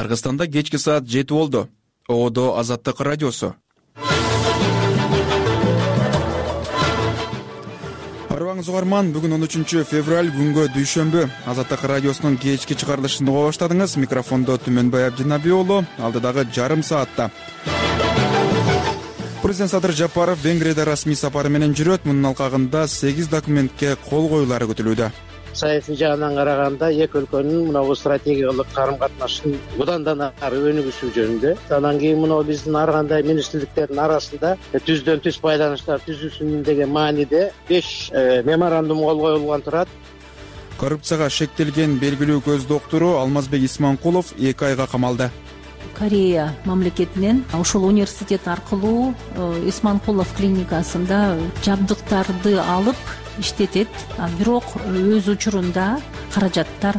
Кыргызстанда кечки саат 7 болду. Одо Азаттык радиосу. Арбаңыз угарман, бүгүн 13 февраль күнгө дүйшөмбү. Азаттык радиосунун кечки чыгарылышын уга баштадыңыз. Микрофондо Түмөнбай Абдинабий уулу. Алдыдагы жарым саатта Президент Садыр Жапаров Венгрияда расмий сапары менен жүрөт. Мунун алкагында 8 документке кол коюлары күтүлүүдө. Саясий жагынан караганда эки өлкөнүн мынабу стратегиялык карым-катнашын мындан да ары өнүгүшү жөнүндө. Анан кийин мына биздин ар кандай министрликтердин арасында түздөн түз байланыштар түзүлсүн деген мааниде 5 меморандум кол коюлган турат. Коррупцияга шектелген белгилүү көз доктору Алмазбек Исманкулов 2 айга камалды. Корея мамлекетинен ушул университет аркылуу Исманкулов клиникасында жабдыктарды алып иштетет, бирок өз учурунда каражаттар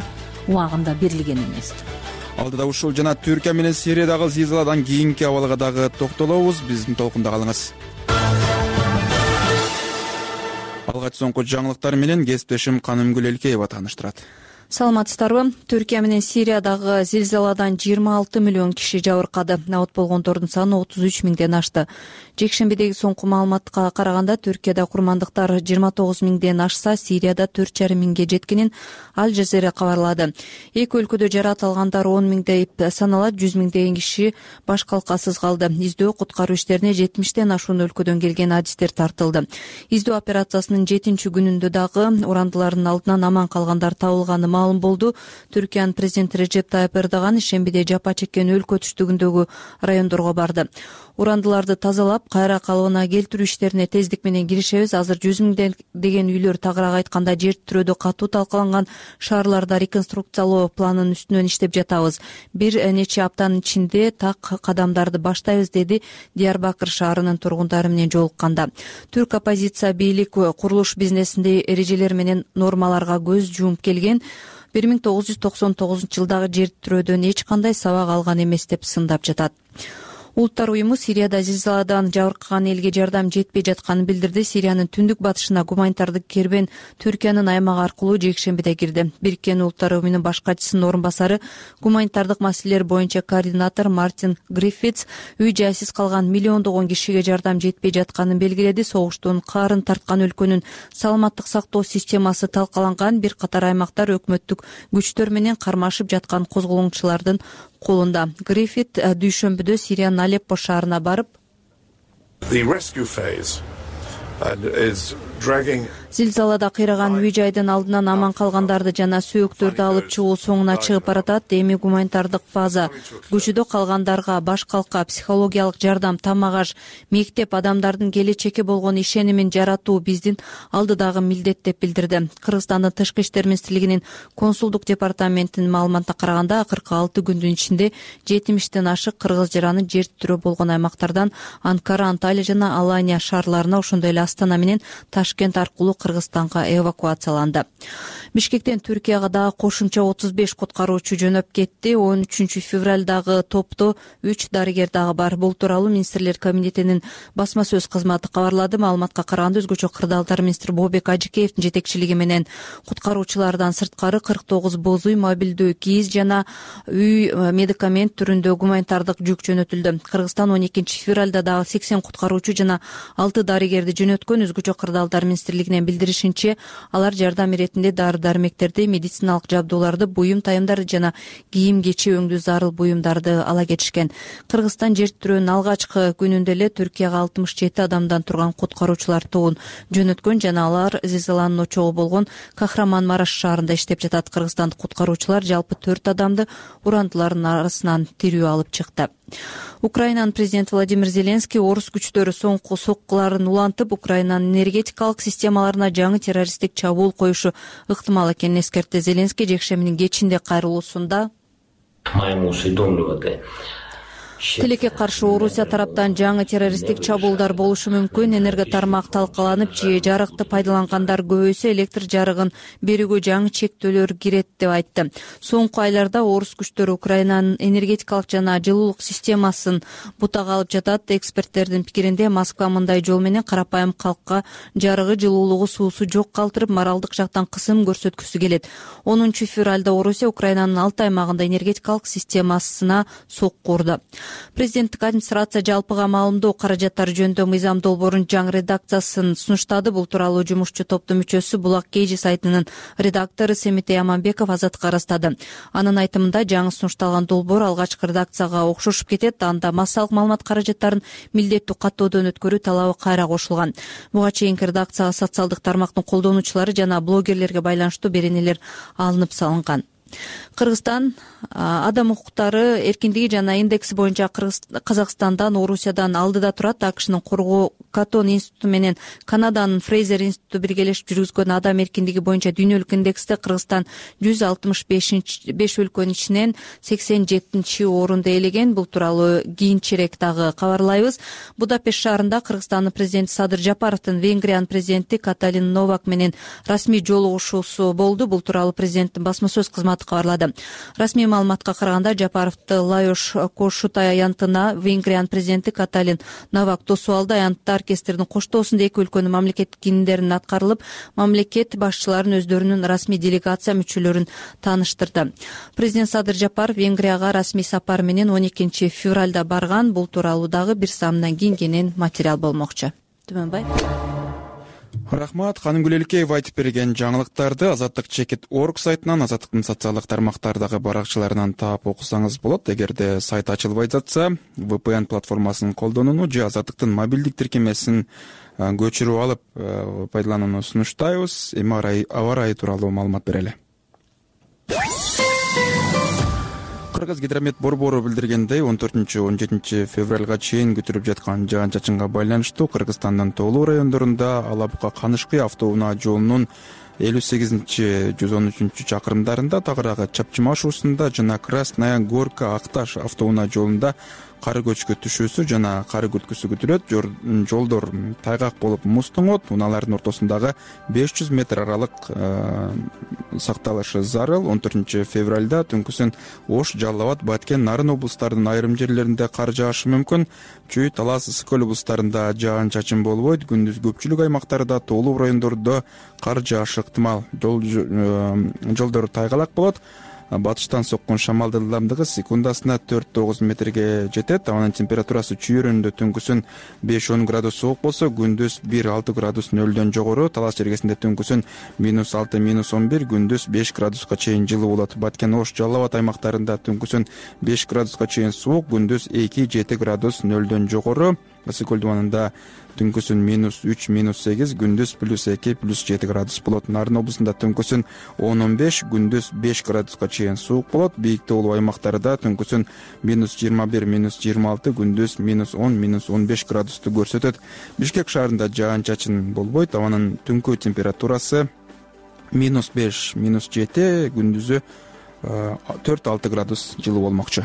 убагында берилген эмес. Алдыда ушул жана Түркия менен Сириядагы зилзаладан кийинки абалга дагы токтолобуз. Биздин толкунда калыңыз. Алгач соңку жаңылыктар менен кесиптешим Канымгүл Элкеева тааныштырат. Саламатсыздарбы? Түркия менен Сириядагы зилзаладан 26 миллион киши жабыркады. Абат болгондордун саны 33 миңден ашты. Жекшембидеги соңку маалыматка караганда Түркияда курмандыктар 29 миңден ашса, Сирияда 4,5 миңге жеткенин Аль Жазира кабарлады. Эки өлкөдө жаракат алгандар 10 миңдей саналат, 100 миңдеген киши баш калкасыз калды. Издөө куткаруу иштерине 70тен ашуун өлкөдөн келген адистер тартылды. Издөө операциясынын 7-чи күнүндө дагы урандылардын алдынан аман калгандар табылганы маалым болду. Түркиянын президенти Режеп Тайып Эрдоган ишембиде жапа чеккен өлкө түштүгүндөгү райондорго барды. Урандыларды тазалап, кайра калыбына келтирүү иштерине тездик менен киришебиз. Азыр 100 миңдеген үйлөр, тагыраак айтканда жер тирөөдө катуу талкаланган шаарларда реконструкциялоо планынын үстүнөн иштеп жатабыз. Бир нече аптанын ичинде так кадамдарды баштайбыз, деди Диярбакыр шаарынын тургундары менен жолукканда. Түрк оппозиция бийлик курулуш бизнесинде эрежелер менен нормаларга көз жумуп келген. 1999-жылдагы жер тирөөдөн эч кандай сабак алган эмес деп сындап жатат. Улуттар уюму Сирияда зилзаладан жабыркаган элге жардам жетпей жатканын билдирди. Сириянын түндүк батышына гуманитардык кербен Түркиянын аймагы аркылуу жекшембиде кирди. Бириккен Улуттар уюмунун баш катчысынын орун басары, гуманитардык маселелер боюнча координатор Мартин Гриффитс үй-жайсыз калган миллиондогон кишиге жардам жетпей жатканын белгиледи. Согуштун каарын тарткан өлкөнүн саламаттык сактоо системасы талкаланган, бир катар аймактар өкмөттүк күчтөр менен кармашып жаткан козголоңчулардын колунда. Гриффит дүйшөмбүдө Сириянын Алеппо шаарына барып, зилзалада кыйраган үй-жайдын алдынан аман калгандарды жана сөөктөрдү алып чыгуу соңуна чыгып баратат. Эми гуманитардык фаза көчөдө калгандарга баш калка, психологиялык жардам, тамак-аш, мектеп, адамдардын келечекке болгон ишенимин жаратуу биздин алдыдагы милдет деп билдирди. Кыргызстандын тышкы иштер министрлигинин консулдук департаментинин маалыматына караганда, акыркы 6 күндүн ичинде 70тен ашык кыргыз жараны жер тирөө болгон аймактардан Анкара, Анталия жана Алания шаарларына, ошондой эле Астана менен Ташкент аркылуу Кыргызстанга эвакуацияланды. Бишкектен Түркияга дагы кошумча 35 куткаруучу жөнөп кетти. 13 февралдагы топто 3 дарыгер дагы бар. Бул тууралуу министрлер кабинетинин басма сөз кызматы кабарлады. Маалыматка караганда, өзгөчө кырдаалдар министри Бообек Ажыкеевдин жетекчилиги менен куткаруучулардан сырткары 49 боз үй, мобилдүү кийиз жана үй медикамент түрүндө гуманитардык жүк жөнөтүлдү. Кыргызстан 12 февралда дагы 80 куткаруучу жана 6 дарыгерди жөнөткөн. Өзгөчө кырдаалдар министрлигинин билдиришинче, алар жардам иретинде дары-дармектерди, медициналык жабдууларды, буюм тайымдарды жана кийим-кечи өңдүү зарыл буюмдарды ала кетишкен. Кыргызстан жер тирөөнүн алгачкы күнүндө эле Түркияга 67 адамдан турган куткаруучулар тобун жөнөткөн жана алар зилзаланын очогу болгон Кахраман-Мараш шаарында иштеп жатат. Кыргызстандык куткаруучулар жалпы 4 адамды урандылардын арасынан тирүү алып чыкты. Украинанын президенти Владимир Зеленский орус күчтөрү соңку соккуларын улантып, Украинанын энергетикалык системаларына жаңы террористтик чабуул коюшу ыктымал экенин эскертти. Зеленский жекшембинин кечинде кайрылуусунда Тилекке каршы Орусия тараптан жаңы террористтик чабуулдар болушу мүмкүн. Энерго тармак талкаланып, же жарыкты пайдалангандар көбөйсө электр жарыгын берүүгө жаңы чектөөлөр кирет деп айтты. Соңку айларда орус күчтөрү Украинанын энергетикалык жана жылуулук системасын бутага алып жатат. Эксперттердин пикиринде Москва мындай жол менен карапайым калкка жарыгы, жылуулугу, суусу жок калтырып, моралдык жактан кысым көрсөткүсү келет. 10 февралда Орусия Украинанын 6 аймагында энергетикалык системасына сокку урду. Президенттик администрация жалпыга маалымдоо каражаттары жөнүндө мыйзам долбоорунун жаңы редакциясын сунуштады. Бул тууралуу жумушчу топтун мүчөсү Булак Кежи сайтынын редактору Семетей Аманбеков Азаттыкка ырастады. Анын айтымында жаңы сунушталган долбоор алгачкы редакцияга окшошуп кетет. Анда массалык маалымат каражаттарын милдеттүү каттоодон өткөрүү талабы кайра кошулган. Буга чейинки редакцияга социалдык тармактын колдонуучулары жана блогерлерге байланыштуу беренелер алынып салынган. Кыргызстан адам укуктары эркиндиги жана индекси боюнча Казакстандан, Орусиядан алдыда турат. АКШнын Коргоо Катон институту менен Канаданын Фрейзер институту биргелешип жүргүзгөн адам эркиндиги боюнча дүйнөлүк индексте Кыргызстан 165 өлкөнүн ичинен 87-орунду ээлеген. Бул тууралуу кийинчерээк дагы кабарлайбыз. Будапешт шаарында Кыргызстандын президенти Садыр Жапаровдун Венгриянын президенти Каталин Новак менен расмий жолугушуусу болду. Бул тууралуу президенттин басма сөз кызматы кабарлады. Расмий маалыматка караганда Жапаровду Лайош Кошутай аянтына Венгриянын президенти Каталин Новак тосуп алды. Аянтта оркестрдин коштоосунда эки өлкөнүн мамлекеттик киндерин аткарылып, мамлекет башчыларын өздөрүнүн расмий делегация мүчөлөрүн тааныштырды. Президент Садыр Жапаров Венгрияга расмий сапар менен 12 февралда барган. Бул тууралуу дагы бир саамдан кийин материал болмокчу. Түмөнбай. Рахмат. Ханым Гүлелкеева айтып берген жаңылыктарды Азаттык.org сайтынан, Азаттыктын социалдык тармактардагы баракчаларынан таап окусаңыз болот. Эгерде сайт ачылбай жатса, VPN платформасын колдонууну же Азаттыктын мобилдик тиркемесин көчүрүп алып пайдаланууну сунуштайбыз. Эми аба ырайы тууралуу маалымат берели. Кыргызгидромет борбору билдиргендей, 14-17 февралга чейин күтүлүп жаткан жаан-чачынга байланыштуу Кыргызстандын тоолуу райондорунда Алабука-Канышкы автоунаа жолунун 58-113 чакырымдарында, тагыраагы Чапчымаш уусунда жана Красная Горка-Акташ автоунаа жолунда кар көчкү түшүүсү жана кар күткүсү күтүлөт. Жолдор тайгак болуп муз тоңот. Унаалардын ортосундагы 500 метр аралык сакталышы зарыл. 14 февралда түнкүсүн Ош, Жалал Абад, Баткен, Нарын облустарынын айрым жерлеринде кар жаашы мүмкүн. Чүй, Талас, Ысык-Көл облустарында жаан-чачын болбойт. Күндүз көпчүлүк аймактарда, тоолуу райондордо кар жаашы ыктымал. Жолдор тайгалак болот. Батыштан соккон шамалдын ылдамдыгы секундасына 4-9 метрге жетет. Абанын температурасы чүйөрүндө түнкүсүн 5-10 градус суук болсо, күндүз 1-6 градус нөлдөн жогору. Талас жергесинде түнкүсүн -6-11, күндүз 5 градуска чейин жылуу болот. Баткен, Ош, Жалал Абад аймактарында түнкүсүн 5 градуска чейин суук, күндүз 2-7 градус нөлдөн жогору. Ысык-Көл дубанында түнкүсүн -3-8, күндүз +2-+7 градус болот. Нарын облусунда түнкүсүн 10-15, күндүз 5 градуска чейин суук болот. Бийик тоолуу аймактарда түнкүсүн -21-26, күндүз -10-15 градусту көрсөтөт. Бишкек шаарында жаан-чачын болбойт. Абанын түнкү температурасы -5-7, күндүзү 4-6 градус жылуу болмокчу.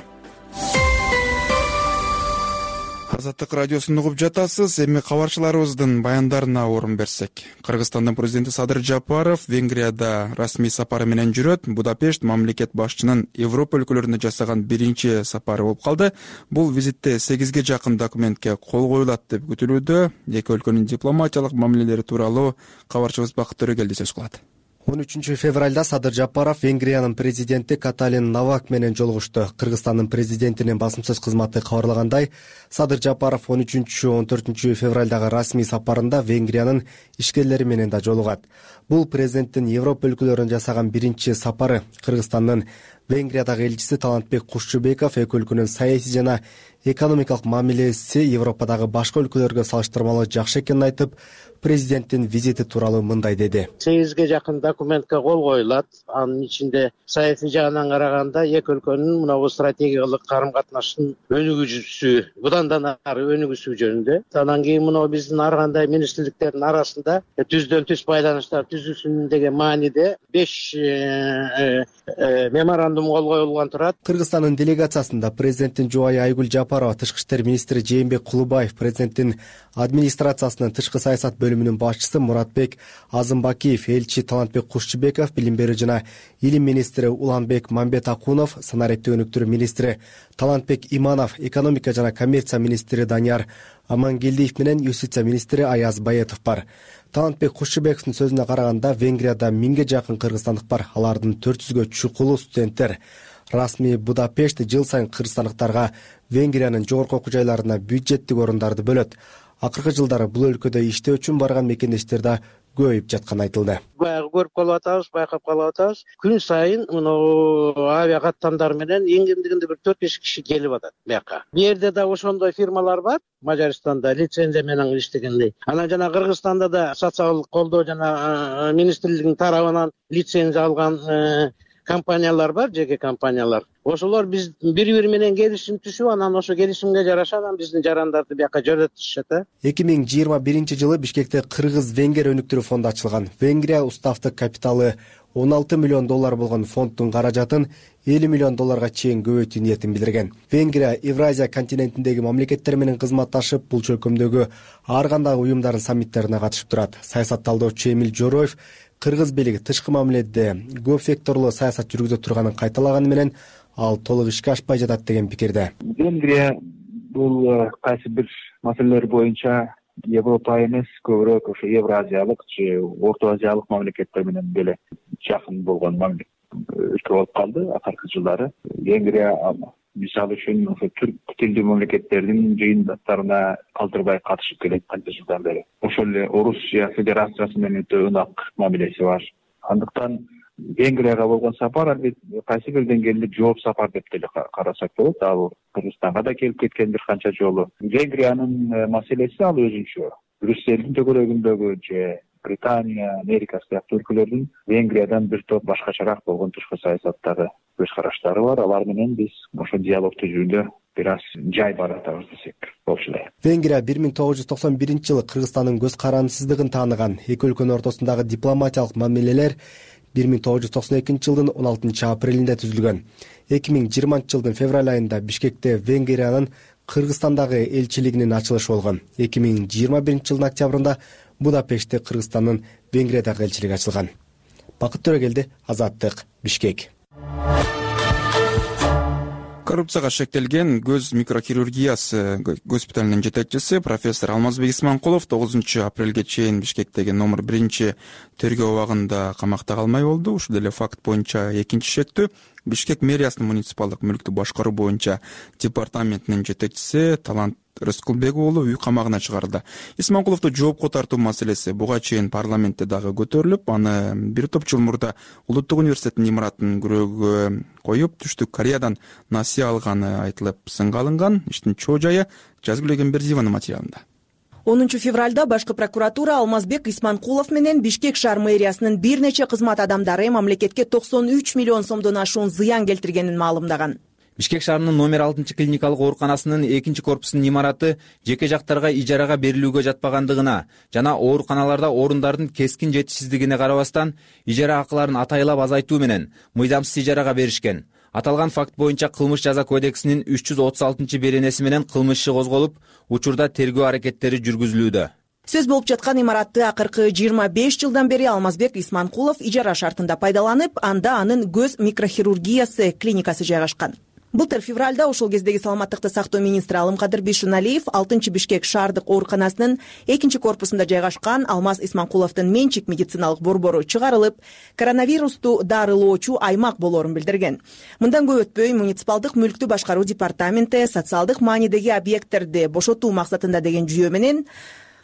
Азаттык радиосун угуп жатасыз. Эми кабарчыларыбыздын баяндарына орун берсек. Кыргызстандын президенти Садыр Жапаров Венгрияда расмий сапары менен жүрөт. Будапешт мамлекет башчынын Европа өлкөлөрүнө жасаган биринчи сапары болуп калды. Бул визитте 8ге жакын документке кол коюлат деп күтүлүүдө. Эки өлкөнүн дипломатиялык мамилелери тууралуу кабарчыбыз Бакыт Төрөгелди сөз кылат. 13 февралда Садыр Жапаров Венгриянын президенти Каталин Новак менен жолугушту. Кыргызстандын президентинин басма сөз кызматы кабарлагандай, Садыр Жапаров 13-14 февралдагы расмий сапарында Венгриянын ишкерлери менен да жолугат. Бул президенттин Европа өлкөлөрүнө жасаган биринчи сапары. Кыргызстандын Венгриядагы элчиси Талантбек Кушчубеков эки өлкөнүн саясий жана экономикалык мамилеси Европадагы башка өлкөлөргө салыштырмалуу жакшы экенин айтып, президенттин визити тууралуу мындай деди. 8ге жакын документке кол коюлат. Анын ичинде саясий жагынан караганда эки өлкөнүн мына стратегиялык карым-катнаштын өнүгүүсү, будан да ары өнүгүүсү жөнүндө. Андан кийин мына биздин ар кандай министрликтердин арасында түздөн түз байланыштар түзүлсүн деген мааниде 5 меморандум меморандум кол коюлган турат. Кыргызстандын делегациясында президенттин жубайы Айгүл Жапарова, тышкы иштер министри Жээнбек Кулубаев, президенттин администрациясынын тышкы саясат бөлүмүнүн башчысы Муратбек Азымбакиев, элчи Талантбек Кушчубеков, билим берүү жана илим министри Уланбек Мамбетакунов, санариптик өнүктүрүү министри Талантбек Иманов, экономика жана коммерция министри Данияр Амангелдиев менен юстиция министри Аяз Баетов бар. Талантбек Кушчубековдун сөзүнө караганда, Венгрияда 1000ге жакын кыргызстандык бар. Алардын 400гө чукулу студенттер. Расмий Будапешт жыл сайын кыргызстандыктарга Венгриянын жогорку окуу жайларына бюджеттик орундарды бөлөт. Акыркы жылдары бул өлкөдө иштөө үчүн барган мекендештер да көбөйүп жатканы айтылды. Баягы көрүп калып атабыз, байкап калып атабыз. Күн сайын мына авиа каттамдар менен эң кемдигинде бир 4-5 киши келип атат бияка. Бу жерде да ошондой фирмалар бар. Мажарстанда лицензия менен иштегендей. Анан жана Кыргызстанда да социалдык колдоо жана министрлигинин тарабынан лицензия алган компаниялар бар, жеке компаниялар. Ошолор биз бири-бири менен келишим түшүп, анан ошо келишимге жараша биздин жарандарды бияка жөнөтүшөт. 2021 жылы Бишкекте Кыргыз-Венгер өнүктүрүү фонду ачылган. Венгрия уставдык капиталы $16 миллион болгон фонддун каражатын $50 миллион чейин көбөйтүү ниетин билдирген. Венгрия Евразия континентиндеги мамлекеттер менен кызматташып, бул чөкөмдөгү ар кандай уюмдардын саммиттерине катышып турат. Саясат талдоочу Эмил Жороев кыргыз бийлиги тышкы мамиледе көп векторлуу саясат жүргүзө турганын кайталаганы менен, ал толук ишке ашпай жатат деген пикирде. Венгрия бул кайсы бир маселелер боюнча Европа эмес, көбүрөөк ошо Евразиялык же Орто Азиялык мамлекеттер менен деле жакын болгон өлкө болуп калды акыркы жылдары. Венгрия мисалы үчүн ошо түрк тилдүү мамлекеттердин жыйынтыктарына калтырбай катышып келет канча жылдан бери. Ошол эле Орусия Федерациясы менен өтө ынак мамилеси бар. Андыктан Венгрияга болгон сапар албетте кайсы бир деңгээлде жооп сапар деп деле карасак болот. Ал Кыргызстанга да келип кеткен бир канча жолу. Венгриянын маселеси ал өзүнчө. Брюссельдин төгөрөгүндөгү же Британия, Америка сыяктуу өлкөлөрдүн Венгриядан бир топ башкачараак болгон тышкы саясаттагы көз караштары бар. Алар менен биз ошо диалог түзүүдө бир аз жай баратабыз десек болчу эле. Венгрия 1991 жылы Кыргызстандын көз карандысыздыгын тааныган. Эки өлкөнүн ортосундагы дипломатиялык мамилелер 1992 жылдын 16 апрелинде түзүлгөн. 2020 жылдын февраль айында Бишкекте Венгриянын Кыргызстандагы элчилигинин ачылышы болгон. 2021 жылдын октябрында Будапештте Кыргызстандын Венгриядагы элчилиги ачылган. Бакыт Төрөгелди, Азаттык, Бишкек. Коррупцияга шектелген көз микрохирургиясы госпиталынын жетекчиси профессор Алмазбек Исманкулов 9 апрелге чейин Бишкектеги номер 1 тергөө абагында камакта калмай болду. Ушул эле факт боюнча экинчи шектүү Бишкек мэриясынын муниципалдык мүлктү башкаруу боюнча департаментинин жетекчиси Талант Рыскулбек уулу үй камагына чыгарылды. Исманкуловду жоопко тартуу маселеси буга чейин парламентте дагы көтөрүлүп, аны бир топ жыл мурда Улуттук университеттин имаратынын күрөөгү коюп, Түштүк Кореядан насыя алганы айтылып сынга алынган. Иштин чоо жайы Жазгүл Эгембердиеванын материалында. 10 февралда башкы прокуратура Алмазбек Исманкулов менен Бишкек шаар мэриясынын бир нече кызмат адамдары мамлекетке 93 миллион сомдон ашуун зыян келтиргенин маалымдаган. Бишкек шаарынын номер 6 клиникалык ооруканасынын 2-корпусунун имараты жеке жактарга ижарага берилүүгө жатпагандыгына жана ооруканаларда орундардын кескин жетишсиздигине карабастан ижара акыларын атайлап азайтуу менен мыйзамсыз ижарага беришкен. Аталган факт боюнча кылмыш жаза кодексинин 336-беренеси менен кылмыш иши козголуп, учурда тергөө аракеттери жүргүзүлүүдө. Сөз болуп жаткан имаратты акыркы 25 жылдан бери Алмазбек Исманкулов ижара шартында пайдаланып, анда анын көз микрохирургиясы клиникасы жайгашкан. Былтыр февралда ошол кездеги саламаттыкты сактоо министри Алымкадыр Бишуналиев 6 Бишкек шаардык ооруканасынын 2-корпусунда жайгашкан Алмаз Исманкуловдун менчик медициналык борбору чыгарылып, коронавирусту дарылоочу аймак болоорун билдирген. Мындан көп өтпөй муниципалдык мүлктү башкаруу департаменти социалдык маанидеги объекттерди бошотуу максатында деген жүйө менен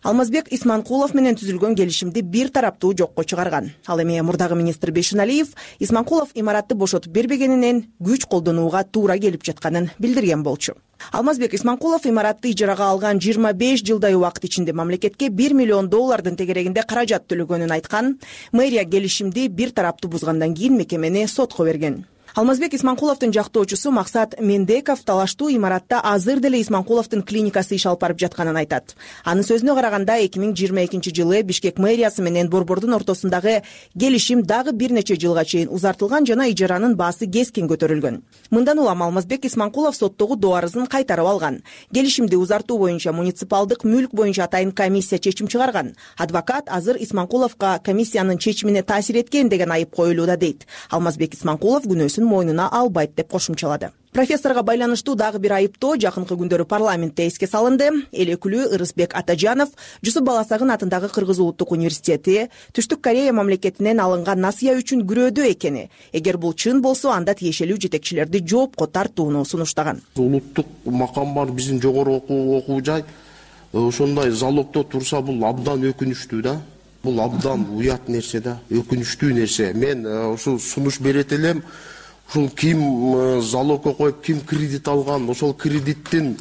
Алмазбек Исманкулов менен түзүлгөн келишимди бир тараптуу жокко чыгарган. Ал эми мурдагы министр Бишуналиев Исманкулов имаратты бошотуп бербегенинен күч колдонууга туура келип жатканын билдирген болчу. Алмазбек Исманкулов имаратты ижарага алган 25 жылдай убакыт ичинде мамлекетке $1 миллион тегерегинде каражат төлөгөнүн айткан. Мэрия келишимди бир тараптуу бузгандан кийин мекемени сотко берген. Алмазбек Исманкуловдун жактоочусу Максат Мендеков талаштуу имаратта азыр деле Исманкуловдун клиникасы иш алып барып жатканын айтат. Анын сөзүнө караганда 2022-жылы Бишкек мэриясы менен Борбордун ортосундагы келишим дагы бир нече жылга чейин узартылган жана ижаранын баасы кескин көтөрүлгөн. Мындан улам Алмазбек Исманкулов соттогу доо арызын кайтарып алган. Келишимди узартуу боюнча муниципалдык мүлк боюнча атайын комиссия чечим чыгарган. Адвокат азыр Исманкуловго комиссиянын чечимине таасир эткен деген айып коюлууда дейт. Алмазбек Исманкулов күнөөсүн мойнуна албайт деп кошумчалады. Профессорго байланыштуу дагы бир айыптоо жакынкы күндөрү парламентте эске салынды. Эл өкүлү Ырысбек Атажанов Жусуп Баласагын атындагы Кыргыз улуттук университети Түштүк Корея мамлекетинен алынган насыя үчүн күрөөдө экени, эгер бул чын болсо анда тиешелүү жетекчилерди жоопко тартууну сунуштаган. Улуттук макам бар биздин жогору окуу жай ошондой залогдо турса бул абдан өкүнүчтүү да. Бул абдан уят нерсе да, өкүнүчтүү нерсе. Мен ушул сунуш берет элем. Ушул ким залогко коюп, ким кредит алган, ошол кредиттин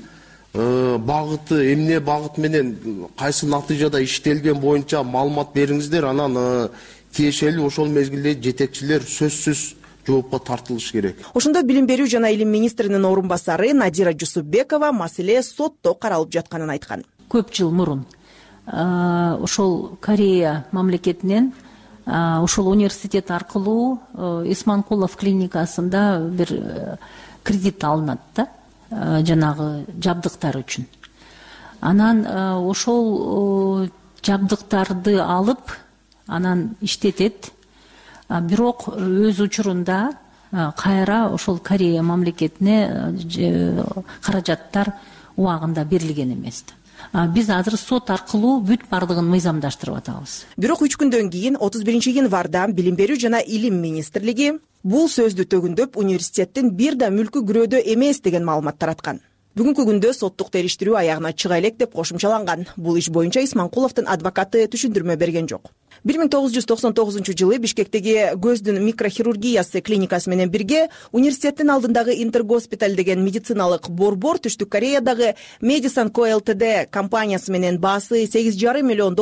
багыты, эмне багыт менен кайсы натыйжада иштелген боюнча маалымат бериңиздер, анан тиешелүү ошол мезгилде жетекчилер сөзсүз жоопко тартылыш керек. Ошондо Билим берүү жана илим министринин орун басары Надира Жусупбекова маселе сотто каралып жатканын айткан. Көп жыл мурун ошол Корея мамлекетинен ошол университет аркылуу Исманкулов клиникасында бир кредит алынат да, жанагы жабдыктар үчүн. Анан ошол жабдыктарды алып, анан иштетет. Бирок өз учурунда кайра ошол Корея мамлекетине каражаттар убагында берилген эмес. Биз азыр сот аркылуу бүт бардыгын мыйзамдаштырып атабыз. Бирок 3 күндөн кийин 31-январда Билим берүү жана илим министрлиги бул сөздү төгүндөп университеттин бир да мүлкү күрөөдө эмес деген маалымат тараткан. Бүгүнкү күндө соттук териштирүү аягына чыга элек деп кошумчаланган. Бул иш боюнча Исманкуловдун адвокаты түшүндүрмө берген жок. 1999-жылы Бишкектеги көздүн микрохирургиясы клиникасы менен бирге университеттин алдындагы Интергоспиталь деген медициналык борбор Түштүк Кореядагы Medicine Co Ltd компаниясы менен баасы $8,5 миллион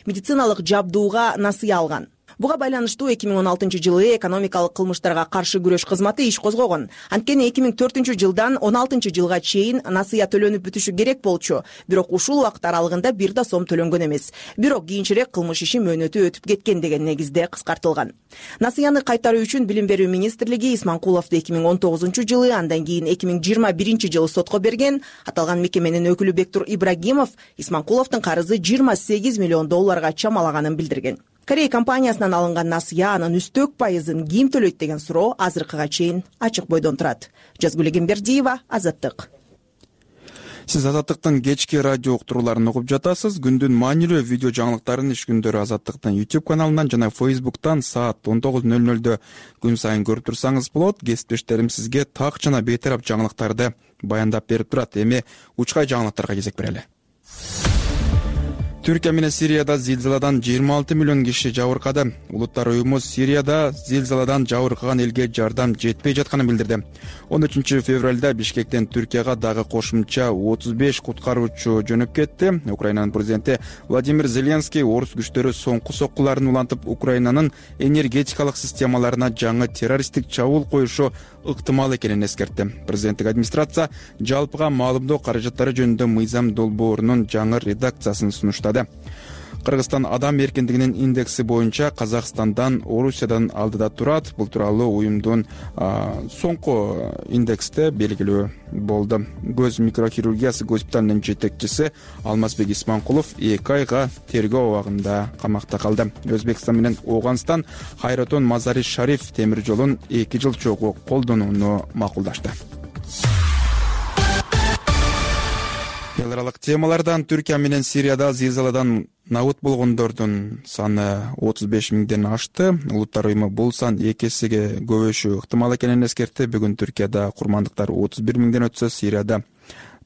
медициналык жабдууга насыя алган. Буга байланыштуу 2016-жылы экономикалык кылмыштарга каршы күрөш кызматы иш козгогон. Анткени 2004-жылдан 16-жылга чейин насыя төлөнүп бүтүшү керек болчу. Бирок ушул убакыт аралыгында бир да сом төлөнгөн эмес. Бирок кийинчерээк кылмыш иши мөөнөтү өтүп кеткен деген негизде кыскартылган. Насыяны кайтаруу үчүн Билим берүү министрлиги Исманкуловду 2019-жылы, андан кийин 2021-жылы сотко берген. Аталган мекеменин өкүлү Бектур Ибрагимов Исманкуловдун карызы $28 миллион чамалаганын билдирген. Корея компаниясынан алынган насыя анын үстөк пайызын ким төлөйт деген суроо азыркыга чейин ачык бойдон турат. Жазгүл Эгембердиева, Азаттык. Сиз Азаттыктын кечки радио уктурууларын угуп жатасыз. Күндүн маанилүү видео жаңылыктарын иш күндөрү Азаттыктын YouTube каналынан жана Facebook'тан саат 19:00 күн сайын көрүп турсаңыз болот. Кесиптештерим сизге так жана бейтарап жаңылыктарды баяндап берип турат. Эми учкай жаңылыктарга кезек берели. Түркия менен Сирияда зилзаладан 26 миллион киши жабыркады. Улуттар уюму Сирияда зилзаладан жабыркаган элге жардам жетпей жатканын билдирди. 13 февралда Бишкектен Түркияга дагы кошумча 35 куткаруучу жөнөп кетти. Украинанын президенти Владимир Зеленский орус күчтөрү соңку соккуларын улантып, Украинанын энергетикалык системаларына жаңы террористтик чабуул коюшу ыктымал экенин эскертти. Президенттик администрация жалпыга маалымдоо каражаттары жөнүндө мыйзам долбоорунун жаңы редакциясын сунуштады. Кыргызстан адам эркиндигинин индекси боюнча Казакстандан, Орусиядан алдыда турат. Бул тууралуу уюмдун соңку индексте белгилүү болду. Көз микрохирургиясы госпиталынын жетекчиси Алмазбек Исманкулов 2 айга тергөө абагында камакта калды. Өзбекстан менен Ооганстан Хайратон Мазари Шариф темир жолун 2 жыл чогуу колдонууну макулдашты. Эл аралык темалардан Түркия менен Сирияда зилзаладан набыт болгондордун саны 35 миңден ашты. Улуттар уюму бул сан 2 эсеге көбөйүшү ыктымал экенин эскертти. Бүгүн Түркияда курмандыктар 31 миңден өтсө, Сирияда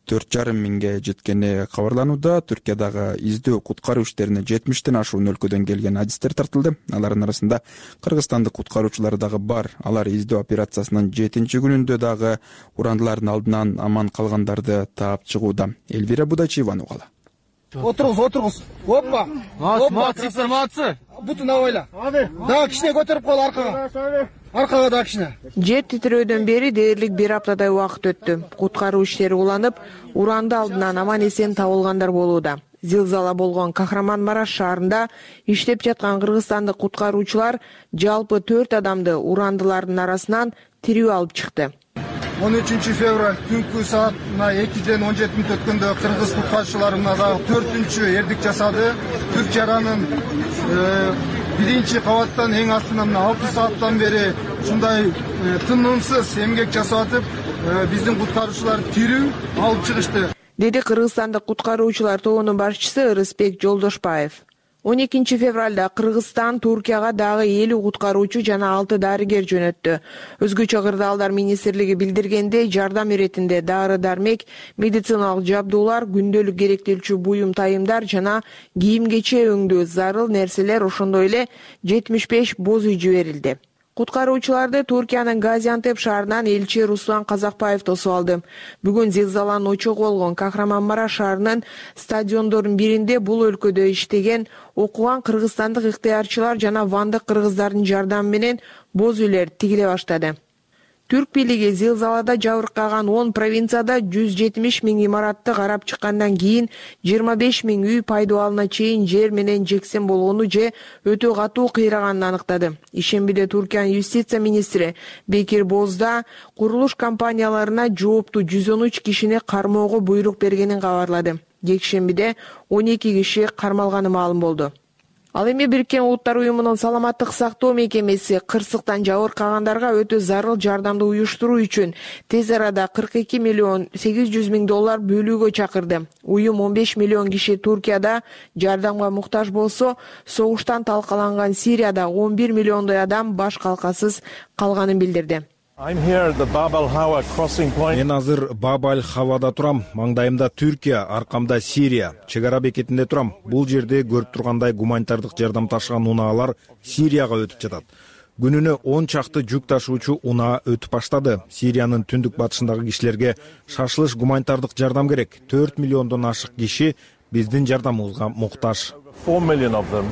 4,5 миңге жеткени кабарланууда. Түркиядагы издөө куткаруу иштерине 70тен ашуун өлкөдөн келген адистер тартылды. Алардын арасында кыргызстандык куткаруучулар дагы бар. Алар издөө операциясынын 7-күнүндө дагы урандылардын алдынан аман калгандарды таап чыгууда. Элвира Будачиеваны угалы. Отуруңуз. Оппа. Молодцы. Бутуна ойла. Да, кичине көтөрүп кой аркага. аркага да кичине. Жер титирөөдөн бери дээрлик 1 аптадай убакыт өттү. Куткаруу иштери уланып, уранды алдынан аман-эсен табылгандар болууда. Зилзала болгон Кахраман-Мараш шаарында иштеп жаткан кыргызстандык куткаруучулар жалпы 4 адамды урандылардын арасынан тирүү алып чыкты. 13 февраль түнкү саатына 2-ден 17 мүнөт өткөндө кыргыз куткаруучулары мына дагы 4-чү эрдик жасады. Түрк жаранын 1-чи кабаттан эң астынан 6 сааттан бери ушундай тынымсыз эмгек жасап атып, биздин куткаруучулар тирүү алып чыгышты, деди кыргызстандык куткаруучулар тобунун башчысы Ырысбек Жолдошбаев. 12 февралда Кыргызстан Туркияга дагы 50 куткаруучу жана 6 дарыгер жөнөттү. Өзгөчө кырдаалдар министрлиги билдиргендей, жардам иретинде дары-дармек, медициналык жабдуулар, күндөлүк керектелчү буюм тайымдар жана кийим-кече өңдүү зарыл нерселер, ошондой эле 75 боз үй жиберилди. Куткаруучуларды Туркиянын Газиантеп шаарынан элчи Руслан Казакбаев тосуп алды. Бүгүн зилзаланын очогу болгон Кахраман-Мараш шаарынын стадиондордун биринде бул өлкөдө иштеген, окуган кыргызстандык ыктыярчылар жана вандык кыргыздардын жардамы менен боз үйлөр тигиле баштады. Түрк бийлиги зилзалада жабыркаган 10 провинцияда 170 000 имаратты карап чыккандан кийин 25 000 үй пайдаланууна чейин жер менен жексен болгону же өтө катуу кыйраганын аныктады. Ишембиде Туркиянын юстиция министри Бекир Бозда курулуш компанияларына жооптуу 113 кишини кармоого буйрук бергенин кабарлады. Жекшембиде 12 киши кармалганы маалым болду. Ал эми Бириккен Улуттар уюмунун саламаттык сактоо мекемеси кырсыктан жабыркагандарга өтө зарыл жардамды уюштуруу үчүн тез арада $42,8 миллион бөлүүгө чакырды. Уюм 15 миллион киши Туркияда жардамга муктаж болсо, согуштан талкаланган Сирияда 11 миллиондой адам баш калкасыз калганын билдирди. Мен азыр Баб-аль-Хавада турам. Маңдайымда Түркия, аркамда Сирия. Чек ара бекетинде турам. Бул жерде көрүп тургандай гуманитардык жардам ташыган унаалар Сирияга өтүп жатат. Күнүнө 10 чакты жүк ташуучу унаа өтүп баштады. Сириянын түндүк батышындагы кишилерге шашылыш гуманитардык жардам керек. 4 миллиондон ашык киши биздин жардамыбызга муктаж. 4 million of them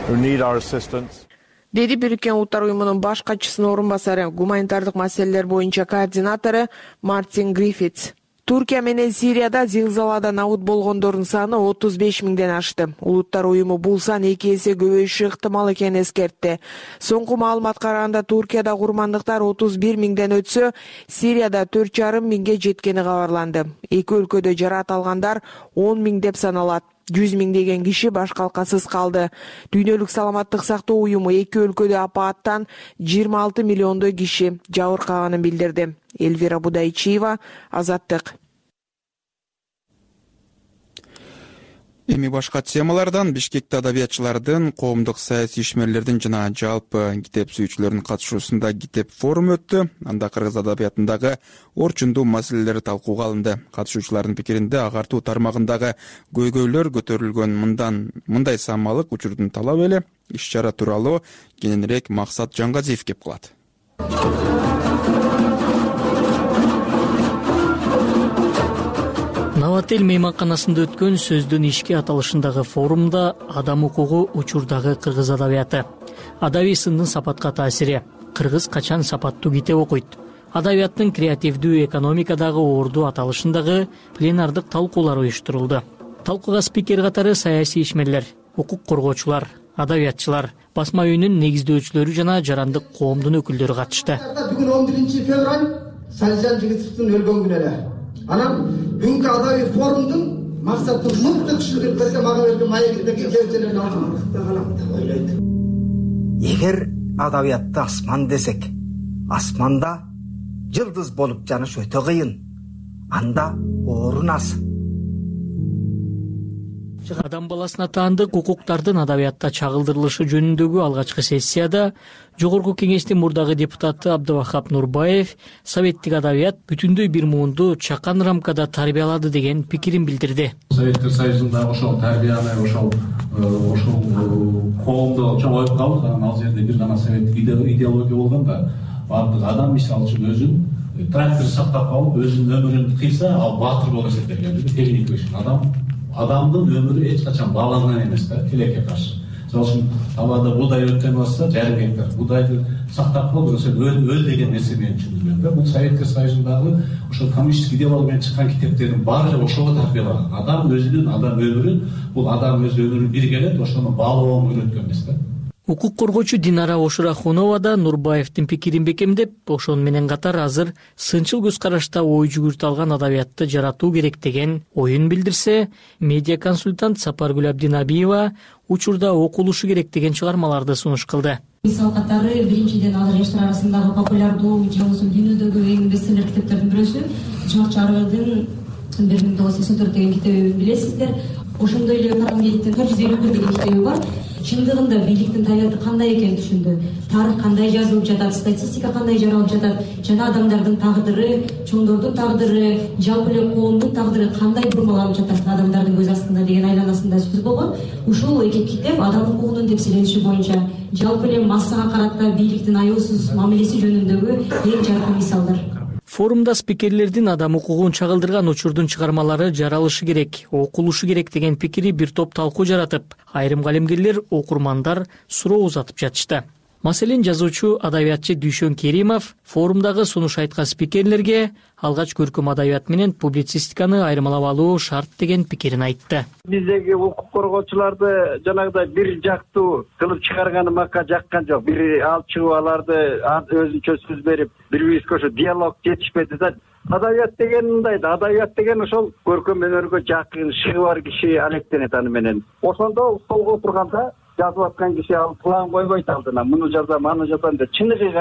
who need our assistance. Деди Бириккен Улуттар уюмунун баш катчысынын орун басары, гуманитардык маселелер боюнча координатору Мартин Гриффитс. Туркия менен Сирияда зилзалада набут болгондордун саны 35 000ден ашты. Улуттар уюму бул сан 2 эсе көбөйүшү ыктымал экенин эскертти. Соңку маалыматка караганда Туркияда курмандыктар 31 000ден өтсө, Сирияда 4,5 миңге жеткени кабарланды. Эки өлкөдө жараат алгандар 10 000 деп саналат. 100 миңдеген киши баш калкасыз калды. Дүйнөлүк саламаттык сактоо уюму эки өлкөдө апааттан 26 миллиондой киши жабыркаганын билдирди. Элвира Будайчиева, Азаттык. Эми башка темалардан Бишкекте адабиятчылардын, коомдук саясий ишмерлердин жана жалпы китеп сүйүүчүлөрдүн катышуусунда китеп форуму өттү. Анда кыргыз адабиятындагы орчундуу маселелер талкууга алынды. Катышуучулардын пикиринде агартуу тармагындагы көйгөйлөр көтөрүлгөн. Мындай самалык учурдун талабы эле. Иш-чара тууралуу кененирээк Максат Жангазиев кеп кылат. Навател мейманканасында өткөн сөздүн ишке аталышындагы форумда адам укугу учурдагы кыргыз адабияты, адабий сындын сапатка таасири, кыргыз качан сапаттуу китеп окуйт, адабияттын креативдүү экономикадагы орду аталышындагы пленардык талкуулар уюштурулду. Талкууга спикер катары саясий ишмерлер, укук коргоочулар, адабиятчылар, басма үйүнүн негиздөөчүлөрү жана жарандык коомдун өкүлдөрү катышты. Бүгүн 11 февраль Салижан Жигитовдун өлгөн күнү эле. Анан бүгүнкү адабий форумдун максаты мыкты кишилерге мага берген маегиндеги кеңселерди алдым. Эгер адабиятты асман десек, асманда жылдыз болуп жаныш өтө кыйын. Анда орун аз. Адам баласына таандык укуктардын адабиятта чагылдырылышы жөнүндөгү алгачкы сессияда Жогорку Кеңештин мурдагы депутаты Абдывахап Нурбаев советтик адабият бүтүндөй бир муунду чакан рамкада тарбиялады деген пикирин билдирди. Советтер Союзунда ошол тарбияны, ошол коомдо чоң оюп калдык. Ал жерде бир гана советтик идеология болгон да, баардык адам мисалы үчүн өзүн трактор сактап калып, өзүнүн өмүрүн кыйса, ал баатыр болуп эсептелген. Адамдын өмүрү эч качан баланан эмес да, тилекке каршы. Мисалы үчүн талаада буудай өрттөнүп атса, жарым гектар буудайды сактап коюп, ошо өл деген нерсе менен түшүндүрүлгөн да. Бул Совет Союзундагы ошо коммунистик идеология менен чыккан китептердин баары ошого тарбиялаган. Адам өзүнүн, адам өмүрүн, бул адам өз өмүрүн биргелеп, ошону баалоого үйрөткөн эмес да. Укук коргоочу Динара Ошурахунова да Нурбаевдин пикирин бекемдеп, ошону менен катар азыр сынчыл көз карашта ой жүгүртө алган адабиятты жаратуу керек деген оюн билдирсе, медиа консультант Сапаргүл Абдинабиева учурда окулушу керек деген чыгармаларды сунуш кылды. Мисал катары биринчиден азыр жаштар арасындагы популярдуу же болбосо дүйнөдөгү эң бестселлер китептердин бирөөсү Джордж Оруэллдин 1984 деген китебин билесиздер. Ошондой эле Фаренгейттин 451 деген китеби бар. Чындыгында бийликтин табияты кандай экенин түшүндү. Тарых кандай жазылып жатат, статистика кандай жаралып жатат, жана адамдардын тагдыры, чоңдордун тагдыры, жалпы эле коомдун тагдыры кандай бурмаланып жатат адамдардын көз астында деген айланасында сөз болгон. Ушул эки китеп адам укугунун тепсилениши боюнча жалпы эле массага карата бийликтин аюусуз мамилеси жөнүндөгү эң жаркын мисалдар. Форумда спикерлердин адам укугун чагылдырган учурдун чыгармалары жаралышы керек, окулушу керек деген пикири бир топ талкуу жаратып, айрым калемгерлер, окурмандар суроо узатып жатышты. Маселен, жазуучу адабиятчы Дүйшөн Керимов форумдагы сунуш айткан спикерлерге алгач көркөм адабият менен публицистиканы айырмалап алуу шарт деген пикирин айтты. Биздеги укук коргоочуларды жанагыдай бир жактуу кылып чыгарганы макка жаккан жок. Бир алып чыгып аларды өзүнчө сөз берип, бири-бирибизге ошо диалог жетишпеди да. Адабият деген мындай да, адабият деген ошол көркөм өнөргө жакын, шыгы бар киши алектенет аны менен. Ошондо столго отурганда жазып аткан киши ал план койбойт алдына, муну жазам, аны жазам деп. Чыныгы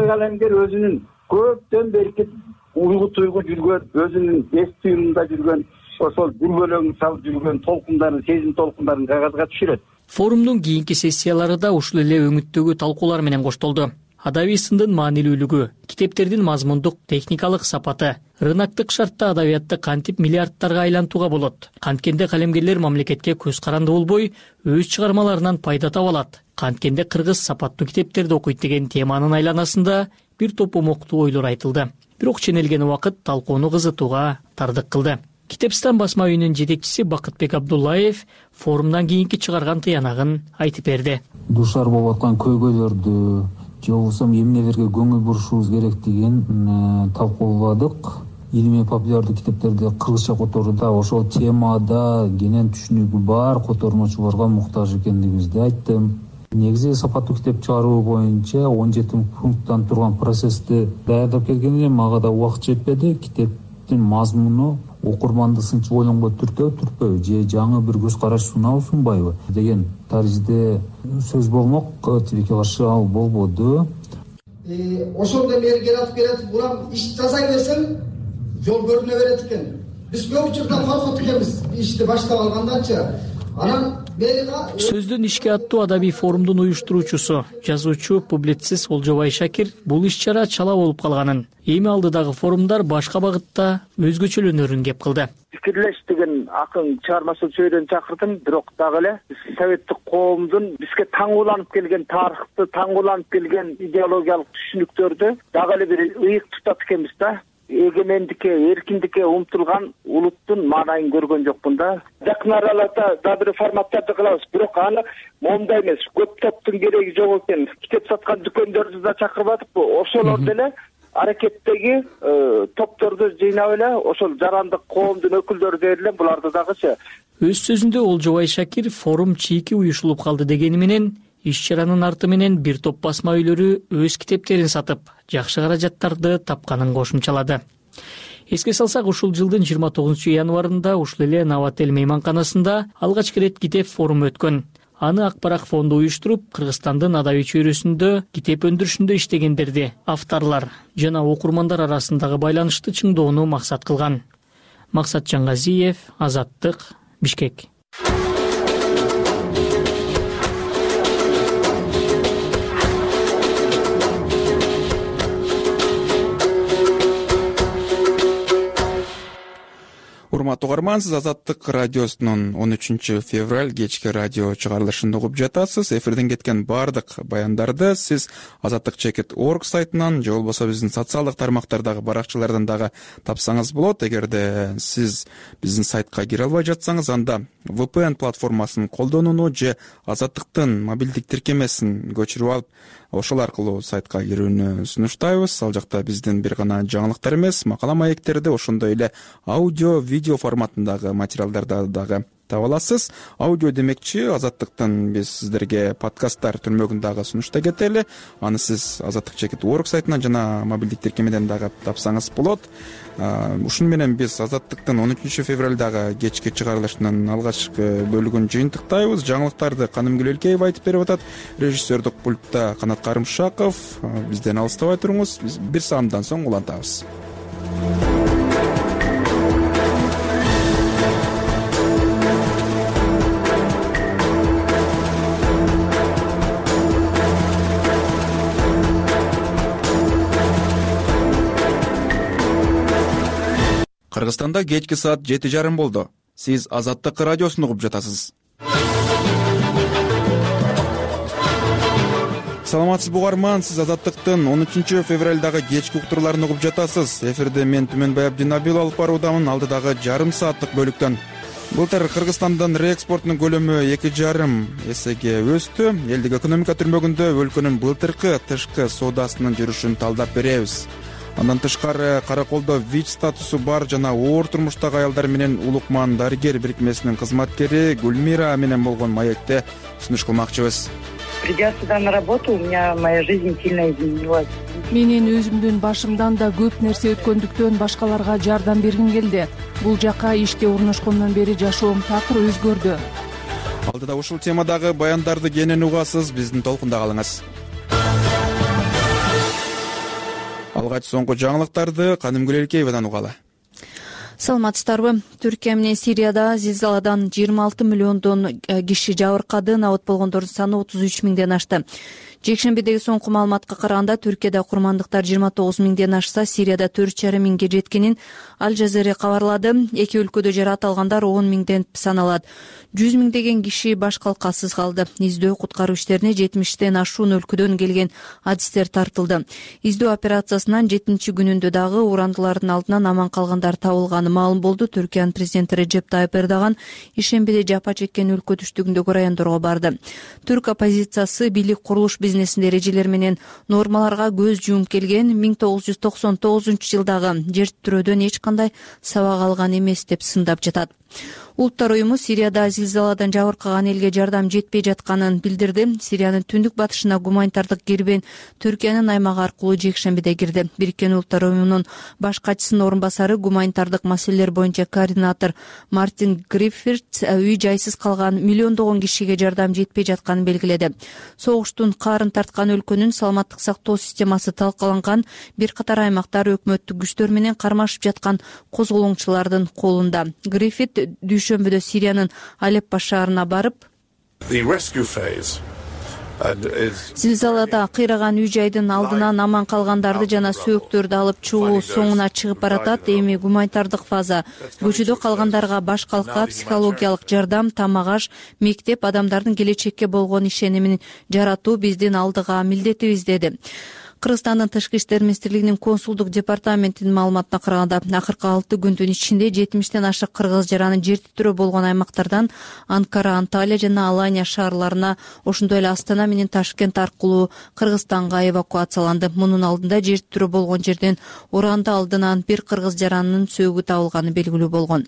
калемгер өзүнүн көптөн берки уйгу туйгу жүргөн, өзүнүн эс түйүнүндө жүргөн, ошол дүрбөлөң салып жүргөн толкундарын, сезим толкундарын кагазга түшүрөт. Форумдун кийинки сессиялары да ушул эле өңүттөгү талкуулар менен коштолду. Адабий сындын маанилүүлүгү, китептердин мазмундук, техникалык сапаты, рыноктук шартта адабиятты кантип миллиардтарга айлантууга болот, канткенде калемгерлер мамлекетке көз каранды болбой, өз чыгармаларынан пайда таба алат, канткенде кыргыз сапаттуу китептерди окуйт деген теманын айланасында бир топ умоктуу ойлор айтылды. Бирок ченелген убакыт талкууну кызытууга тардык кылды. Китепстан басма үйүнүн жетекчиси Бакытбек Абдуллаев форумдан кийинки чыгарган тыянагын айтып берди. Душар болуп аткан көйгөйлөрдү же болбосо эмнелерге көңүл бурушубуз керектигин талкууладык. Илимий популярдуу китептерди кыргызча которууда ошол темада кенен түшүнүгү бар котормочуларга муктаж экендигибизди айттым. Негизи сапаттуу китеп чыгаруу боюнча 17 пункттан турган процессти даярдап келгенде мага да убакыт жетпеди. Китептин мазмуну окурманды сынчып ойлонгон түртпөбү же жаңы бир көз караш сунабы сунбайбы деген таризде сөз болмок. Тибике каршы ал болбоду. Ошондой мери келатып улам иш жасай берсең жол көрүнө берет экен. Биз көп учурда коркут экенбиз ишти баштап алгандачы. Анан сөздөн ишке аттуу адабий форумдун уюштуруучусу, жазуучу, публицист Олжобай Шакир бул иш-чара чала болуп калганын, эми алдыдагы форумдар башка багытта өзгөчөлөнөрүн кеп кылды. Пикирлеш деген акын чыгармасын сөйдөн чакырдым, бирок дагы эле советтик коомдун бизге таңууланып келген тарыхты, таңууланып келген идеологиялык түшүнүктөрдү дагы эле бир ыйык тутат экенбиз да. Эгемендикке, эркиндикке умтулган улуттун маанайын көргөн жокмун да. Жакын араларда да бир форматтарды кылабыз, бирок аны момундай эмес, көп топтун кереги жок экен. Китеп саткан дүкөндөрдү да чакырып атып, ошолор деле аракеттеги топторду жыйнап эле ошол жарандык коомдун өкүлдөрү дээрле буларды дагычы. Өз сөзүндө Олжобай Шакир форум чийки уюшулуп калды дегени менен иш-чаранын арты менен бир топ басма үйлөрү өз китептерин сатып, жакшы каражаттарды тапканын кошумчалады. Эске салсак, ушул жылдын 29 январында ушул эле Новотел мейманканасында алгачкы ирет китеп форуму өткөн. Аны Акбарак фонду уюштуруп, Кыргызстандын адабий чөйрөсүндө китеп өндүрүшүндө иштегендерди, авторлор жана окурмандар арасындагы байланышты чыңдоону максат кылган. Максат Жаңгазиев, Азаттык, Бишкек. урматтуу угарман, сиз Азаттык радиосунун 13 февраль кечки радио чыгарылышын угуп жатасыз. Эфирден кеткен баардык баяндарды сиз azattik.org сайтынан же болбосо биздин социалдык тармактардагы баракчалардан дагы тапсаңыз болот. Эгерде сиз биздин сайтка кире албай жатсаңыз, анда VPN платформасын колдонууну же Азаттыктын мобилдик тиркемесин көчүрүп алып, ошол аркылуу сайтка кирүүнү сунуштайбыз. Ал жакта биздин бир гана жаңылыктар эмес, макала маектерди, ошондой эле аудио, видео форматындагы материалдарды дагы таба аласыз. Аудио демекчи, Азаттыктын биз сиздерге подкасттар түрмөгүн дагы сунуштай кетели. Аны сиз azattik.org сайтынан жана мобилдик тиркемеден дагы тапсаңыз болот. Ушуну менен биз Азаттыктын 13 февралдагы кечки чыгарылышынын алгачкы бөлүгүн жыйынтыктайбыз. Жаңылыктарды Канымгүл Элкеева айтып берип атат. Режиссердик пультта Канат Карымшаков. Бизден алыстабай туруңуз. Биз бир саамдан соң улантабыз. Кыргызстанда кечки саат 7:30 болду. Сиз Азаттык радиосун угуп жатасыз. Саламатсызбы угарман, сиз Азаттыктын 13 февралдагы кечки уктурларын угуп жатасыз. Эфирде мен Түмөнбай Абдинабил алып баруудамын. Алдыдагы жарым сааттык бөлүктөн. Былтыр Кыргызстандын реэкспортунун көлөмү 2,5 эсеге өстү. Элдик экономика түрмөгүндө өлкөнүн былтыркы тышкы соодасынын жүрүшүн талдап беребиз. Андан тышкары Караколдо ВИЧ статусу бар жана оор турмуштагы аялдар менен улукман дарыгер бирикмесинин кызматкери Гүлмира менен болгон маекте сунуш кылмакчыбыз. Придя сюда на работу, у меня моя жизнь сильно изменилась. Менин өзүмдүн башымдан да көп нерсе өткөндүктөн башкаларга жардам бергим келди. Бул жака ишке орношкондон бери жашоом такыр өзгөрдү. Алдыда ушул темадагы баяндарды кенен угасыз, биздин толкунда калыңыз. Алгач соңку жаңылыктарды Канымгүл Элкеевадан угалы. Саламатсыздарбы? Түркия менен Сирияда зилзаладан 26 миллиондон киши жабыркады, абат болгондордун саны 33 миңден ашты. Жекшембидеги соңку маалыматка караганда Түркияда курмандыктар 29 миңден ашса, Сирияда 4,5 миңге жеткенин Аль Жазира кабарлады. Эки өлкөдө жаракат алгандар 10 миңден саналат. 100 миңдеген киши баш калкасыз калды. Издөө куткаруу иштерине 70тен ашуун өлкөдөн келген адистер тартылды. Издөө операциясынын 7 күнүндө дагы урандылардын алдынан аман калгандар табылганы маалым болду. Түркиянын президенти Режеп Тайып Эрдоган ишембиде жапа чеккен өлкө түштүгүндөгү райондорго барды. Түрк оппозициясы бийлик курулуш бизнесинин эрежелери менен нормаларга көз жумуп келген. 1999-жылдагы жер титирөөдөн эч кандай сабак алган эмес деп сындап жатат. Улуттар уюму Сирияда зилзаладан жабыркаган элге жардам жетпей жатканын билдирди. Сириянын түндүк батышына гуманитардык кербен Түркиянын аймагы аркылуу жекшембиде кирди. Бириккен Улуттар уюмунун баш катчысынын орун басары, гуманитардык маселелер боюнча координатор Мартин Гриффитс үй жайсыз калган миллиондогон кишиге жардам жетпей жатканын белгиледи. Согуштун каарын тарткан өлкөнүн саламаттык сактоо системасы талкаланган, бир катар аймактар өкмөттүк күчтөр менен кармашып жаткан козголоңчулардын колунда. Гриффит дүйшөмбүдө Сириянын Алеппо шаарына барып, зилзалада кыйраган үй жайдын алдынан аман калгандарды жана сөөктөрдү алып чыгуу соңуна чыгып баратат. Эми гуманитардык фаза. Көчөдө калгандарга баш калка, психологиялык жардам, тамак аш, мектеп, адамдардын келечекке болгон ишенимин жаратуу биздин алдыга милдетибиз, деди. Кыргызстандын Тышкы иштер министрлигинин консулдук департаментинин маалыматына караганда, акыркы 6 күндүн ичинде 70тен ашык кыргыз жаранын жер титирөө болгон аймактардан Анкара, Анталия жана Алания шаарларына, ошондой эле Астана менен Ташкент аркылуу Кыргызстанга эвакуацияланды. Мунун алдында жер титирөө болгон жерден уранды алдынан бир кыргыз жаранынын сөөгү табылганы белгилүү болгон.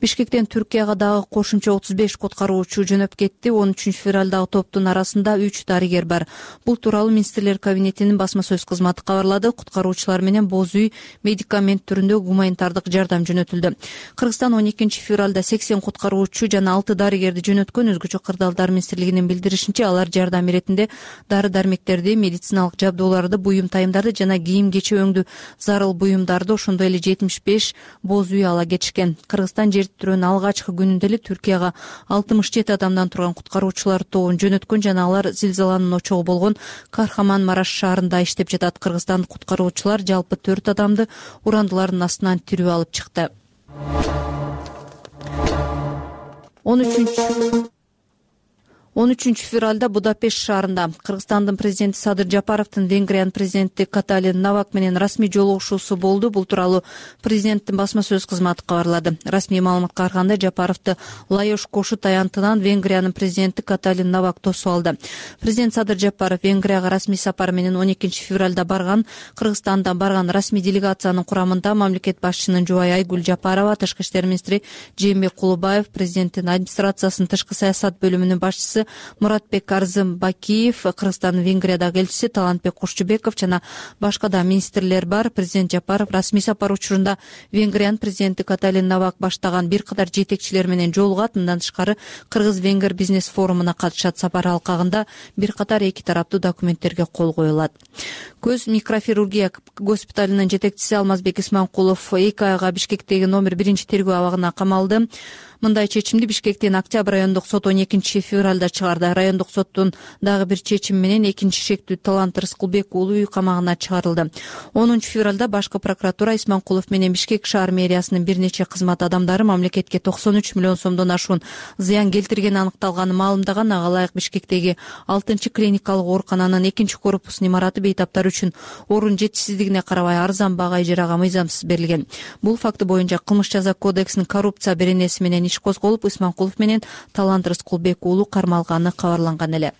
Бишкектен Түркияга дагы кошумча 35 куткаруучу жөнөп кетти. 13 февралдагы топтун арасында 3 дарыгер бар. Бул тууралуу министрлер кабинетинин сөз кызматы кабарлады. Куткаруучулар менен боз үй, медикамент түрүндө гуманитардык жардам жөнөтүлдү. Кыргызстан 12 февралда 80 куткаруучу жана 6 дарыгерди жөнөткөн. Өзгөчө кырдаалдар министрлигинин билдиришинче, алар жардам иретинде дары-дармектерди, медициналык жабдууларды, буюм тайымдарды жана кийим-кече өңдүү зарыл буюмдарды, ошондой эле 75 боз үй ала кетишкен. Кыргызстан жер титирөөнүн алгачкы күнүндө эле Түркияга 67 адамдан турган куткаруучулар тобун жөнөткөн жана алар зилзаланын очогу болгон Кархаман-Мараш шаарында иштеп жатат. Кыргызстандык куткаруучулар жалпы 4 адамды урандылардын астынан тирүү алып чыкты. 13 февралда Будапешт шаарында Кыргызстандын президенти Садыр Жапаровдун Венгриянын президенти Каталин Навак менен расмий жолугушуусу болду. Бул тууралуу президенттин басма сөз кызматы кабарлады. Расмий маалыматка караганда Жапаровду Лаёш Кошут аянтынан Венгриянын президенти Каталин Навак тосуп алды. Президент Садыр Жапаров Венгрияга расмий сапар менен 12 февралда барган. Кыргызстандан барган расмий делегациянын курамында мамлекет башчынын жубайы Айгүл Жапарова, тышкы иштер министри Жээнбек Кулубаев, президенттин администрациясынын тышкы саясат бөлүмүнүн башчысы Муратбек Арзымбакиев, Кыргызстандын Венгриядагы элчиси Талантбек Кошчубеков жана башка да министрлер бар. Президент Жапаров расмий сапар учурунда Венгриянын президенти Каталин Навак баштаган бир катар жетекчилер менен жолугат. Мындан тышкары Кыргыз-Венгер бизнес форумуна катышат. Сапар алкагында бир катар эки тараптуу документтерге кол коюлат. Көз микрохирургия госпиталынын жетекчиси Алмазбек Исманкулов 2 айга Бишкектеги номер 1 тергөө абагына камалды. Мындай чечимди Бишкектин Октябрь райондук соту 12 февралда чыгарды. Райондук соттун дагы бир чечими менен экинчи шектүү Талант Рыскулбек уулу үй камагына чыгарылды. 10 февралда башкы прокуратура Исманкулов менен Бишкек шаар мэриясынын бир нече кызмат адамдары мамлекетке 93 миллион сомдон ашуун зыян келтиргени аныкталганын маалымдаган. Ага ылайык Бишкектеги 6-клиникалык оорукананын 2-корпусунун имараты бейтаптар үчүн орун жетишсиздигине карабай арзан бага ижарага мыйзамсыз берилген. Бул факты боюнча Кылмыш жаза кодексинин коррупция беренеси менен иш козголуп, Исманкулов менен Талант Рыскулбек уулу кармалганы кабарланган эле.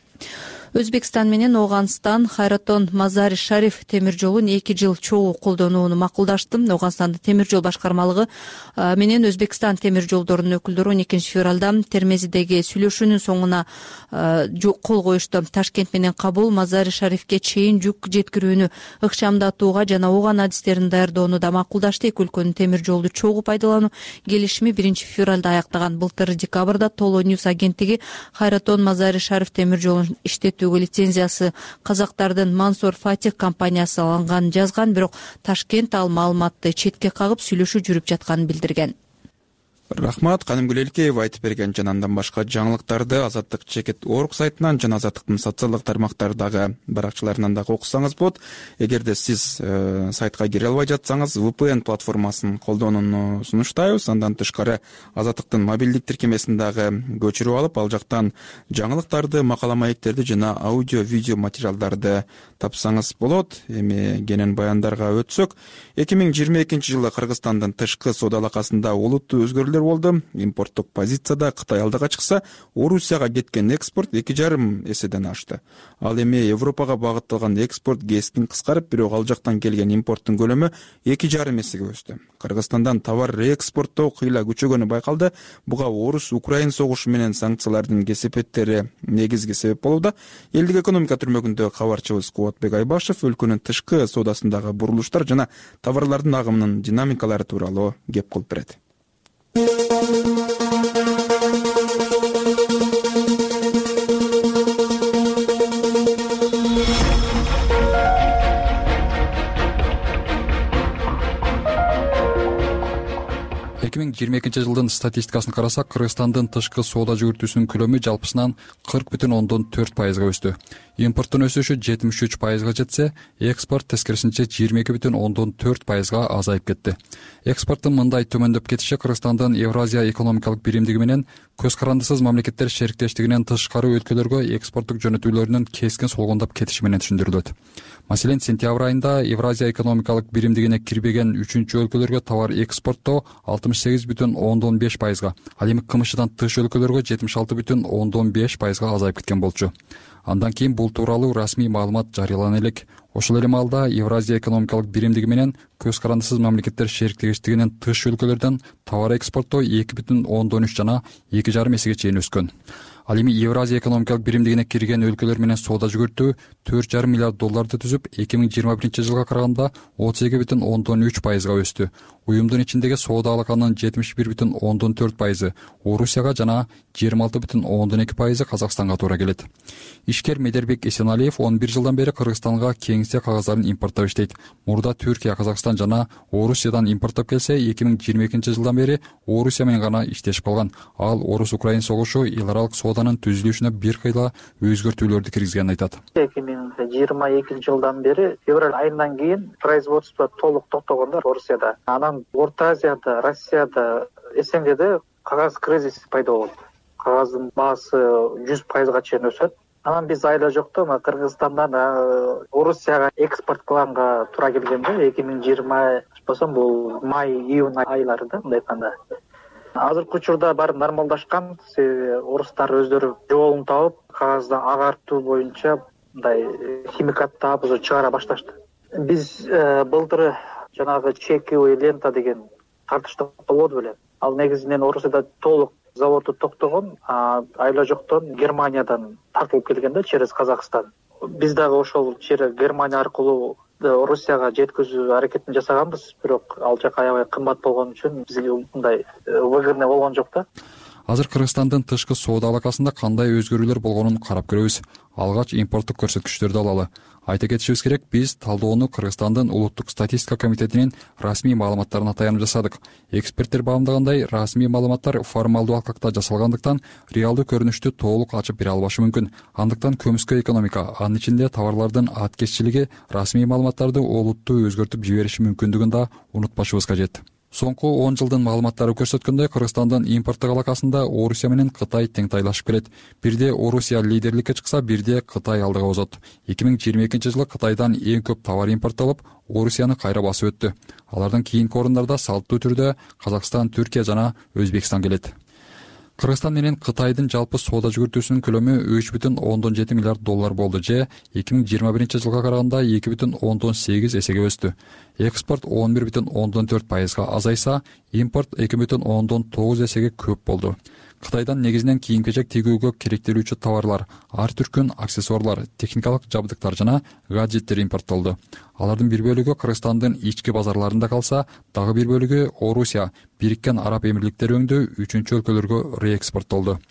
Өзбекстан менен Ооганстан Хайратон Мазари Шариф темир жолун 2 жыл чогуу колдонууну макулдашты. Ооганстандын темир жол башкармалыгы менен Өзбекстан темир жолдорунун өкүлдөрү 12 февралда Термезидеги сүйлөшүүнүн соңуна кол коюшту. Ташкент менен Кабул Мазари Шарифке чейин жүк жеткирүүнү ыкчамдатууга жана ооган адистерин даярдоону да макулдашты. Эки өлкөнүн темир жолду чогуу пайдалануу келишими 1 февралда аяктаган. Былтыр декабрда Толо Ньюс агенттиги Хайратон Мазари Шариф темир жолун иштетүүгө лицензиясы казактардын Мансур Фатих компаниясы алынганын жазган, бирок Ташкент ал маалыматты четке кагып сүйлөшүү жүрүп жатканын билдирген. Рахмат, Канымгүл Элкеева айтып берген жана андан башка жаңылыктарды Азаттык Чекит Орг сайтынан жана Азаттыктын социалдык тармактардагы баракчаларынан дагы окусаңыз болот. Эгерде сиз сайтка кире албай жатсаңыз, VPN платформасын колдонууну сунуштайбыз. Андан тышкары Азаттыктын мобилдик тиркемесин дагы көчүрүп алып, ал жактан жаңылыктарды, макала маектерди жана аудио, видео материалдарды тапсаңыз болот. Эми кенен баяндарга өтсөк, 2022 жылы Кыргызстандын тышкы соода алакасында олуттуу өзгөрүүлөр болду. Импорттук позицияда Кытай алдыга чыкса, Орусияга кеткен экспорт 2,5 эседен ашты. Ал эми Европага багытталган экспорт кескин кыскарып, бирок ал жактан келген импорттун көлөмү 2,5 эсеге өстү. Кыргызстандан товар реэкспорттоо кыйла күчөгөнү байкалды. Буга Орус-Украин согушу менен санкциялардын кесепеттери негизги себеп болууда. Элдик экономика түрмөгүндө кабарчыбыз Кубатбек Айбашев өлкөнүн тышкы соодасындагы бурулуштар жана товарлардын агымынын динамикалары тууралуу кеп кылып берет. 2022 жылдын статистикасын карасак, Кыргызстандын тышкы соода жүгүртүүсүнүн көлөмү жалпысынан 40,4%га өстү. Импорттун өсүшү 73%га жетсе, экспорт тескерисинче 22,4%га азайып кетти. Экспорттун мындай төмөндөп кетиши Кыргызстандын Евразия экономикалык биримдиги менен көз карандысыз мамлекеттер шериктештигинен тышкары өлкөлөргө экспорттук жөнөтүүлөрүнүн кескин солгондоп кетиши менен түшүндүрүлөт. Маселен, сентябрь айында Евразия экономикалык биримдигине кирбеген 3-чү өлкөлөргө товар экспорттоо 68,5%га, ал эми КМШдан тыш өлкөлөргө 76,5%га азайып кеткен болчу. Андан кийин бул тууралуу расмий маалымат жарыялана элек. Ошол эле маалда Евразия экономикалык биримдиги менен көз карандысыз мамлекеттер шериктештигинен тыш өлкөлөрдөн товар экспорттоо 2,3 жана 2,5 эсеге чейин өскөн. Ал эми Евразия экономикалык биримдигине кирген өлкөлөр менен соода жүгүртүү $4,5 миллиард түзүп, 2021 жылга караганда 32,3%га өстү. Уюмдун ичиндеги соода алаканын 71,4% Орусияга жана 26,2% Казакстанга туура келет. Ишкер Медербек Эсеналиев 11 жылдан бери Кыргызстанга кеңсе кагыздарын импорттоп иштейт. Мурда Түркия, Казакстан жана Орусиядан импорттоп келсе, 2022 жылдан бери Орусия менен гана иштешип калган. Ал Орус-Украин согушу эл аралык сооданын түзүлүшүнө бир кыйла өзгөртүүлөрдү киргизгенин айтат. 2022 жылдан бери февраль айынан кийин производство толук токтогондор Орусияда. Анан Орто Азияда, Россияда, СНГде кагаз кризиси пайда болот. Кагаздын баасы 100%га чейин өсөт. Анан биз айла жокто Кыргызстандан Орусияга экспорт кылганга туура келгенде 2020 болсом бул май-июнь айларында мындай айтканда. Азыркы учурда баары нормалдашкан. Орустар өздөрү жолун таап, кагазды агартуу боюнча мындай химикат таап уже чыгара башташты. Биз былтыр жанагы чековый лента деген тартыштык болбоду беле. Ал негизинен Орусияда толук заводу токтогон, айла жоктон Германиядан тартылып келген да через Казакстан. Биз дагы ошол через Германия аркылуу Орусияга жеткизүү аракетин жасаганбыз, бирок ал жак аябай кымбат болгон үчүн бизге мындай выгодный болгон жок да. Азыр Кыргызстандын тышкы соода алакасында кандай өзгөрүүлөр болгонун карап көрөбүз. Алгач импорттук көрсөткүчтөрдү алалы. Айта кетишибиз керек, биз талдоону Кыргызстандын улуттук статистика комитетинин расмий маалыматтарына таянып жасадык. Эксперттер баамдагандай, расмий маалыматтар формалдуу алкакта жасалгандыктан реалдуу көрүнүштү толук ачып бере албашы мүмкүн. Андыктан көмүскө экономика, анын ичинде товарлардын аткезчилиги расмий маалыматтарды олуттуу өзгөртүп жибериши мүмкүндүгүн да унутпашыбыз кажет. Соңку 10 жылдын маалыматтары көрсөткөндөй, Кыргызстандын импорттук алакасында Орусия менен Кытай теңтайлашып келет. Бирде Орусия лидерликке чыкса, бирде Кытай алдыга озот. 2022 жылы Кытайдан эң көп товар импорттолуп, Орусияны кайра басып өттү. Алардын кийинки орундарда салттуу түрдө Казакстан, Түркия жана Өзбекстан келет. Кыргызстан менен Кытайдын жалпы соода жүгүртүүсүнүн көлөмү 3,7 миллиард доллар болду же 2021 жылга караганда 2,8 эсеге өстү. Экспорт 11,4%га азайса, импорт 2,9 эсеге көп болду. Кытайдан негизинен кийим-кечек тигүүгө керектелүүчү товарлар, ар түркүн аксессуарлар, техникалык жабдыктар жана гаджеттер импорттолду. Алардын бир бөлүгү Кыргызстандын ички базарларында калса, дагы бир бөлүгү Орусия, Бириккен Араб Эмирликтери өңдүү үчүнчү өлкөлөргө реэкспорттолду.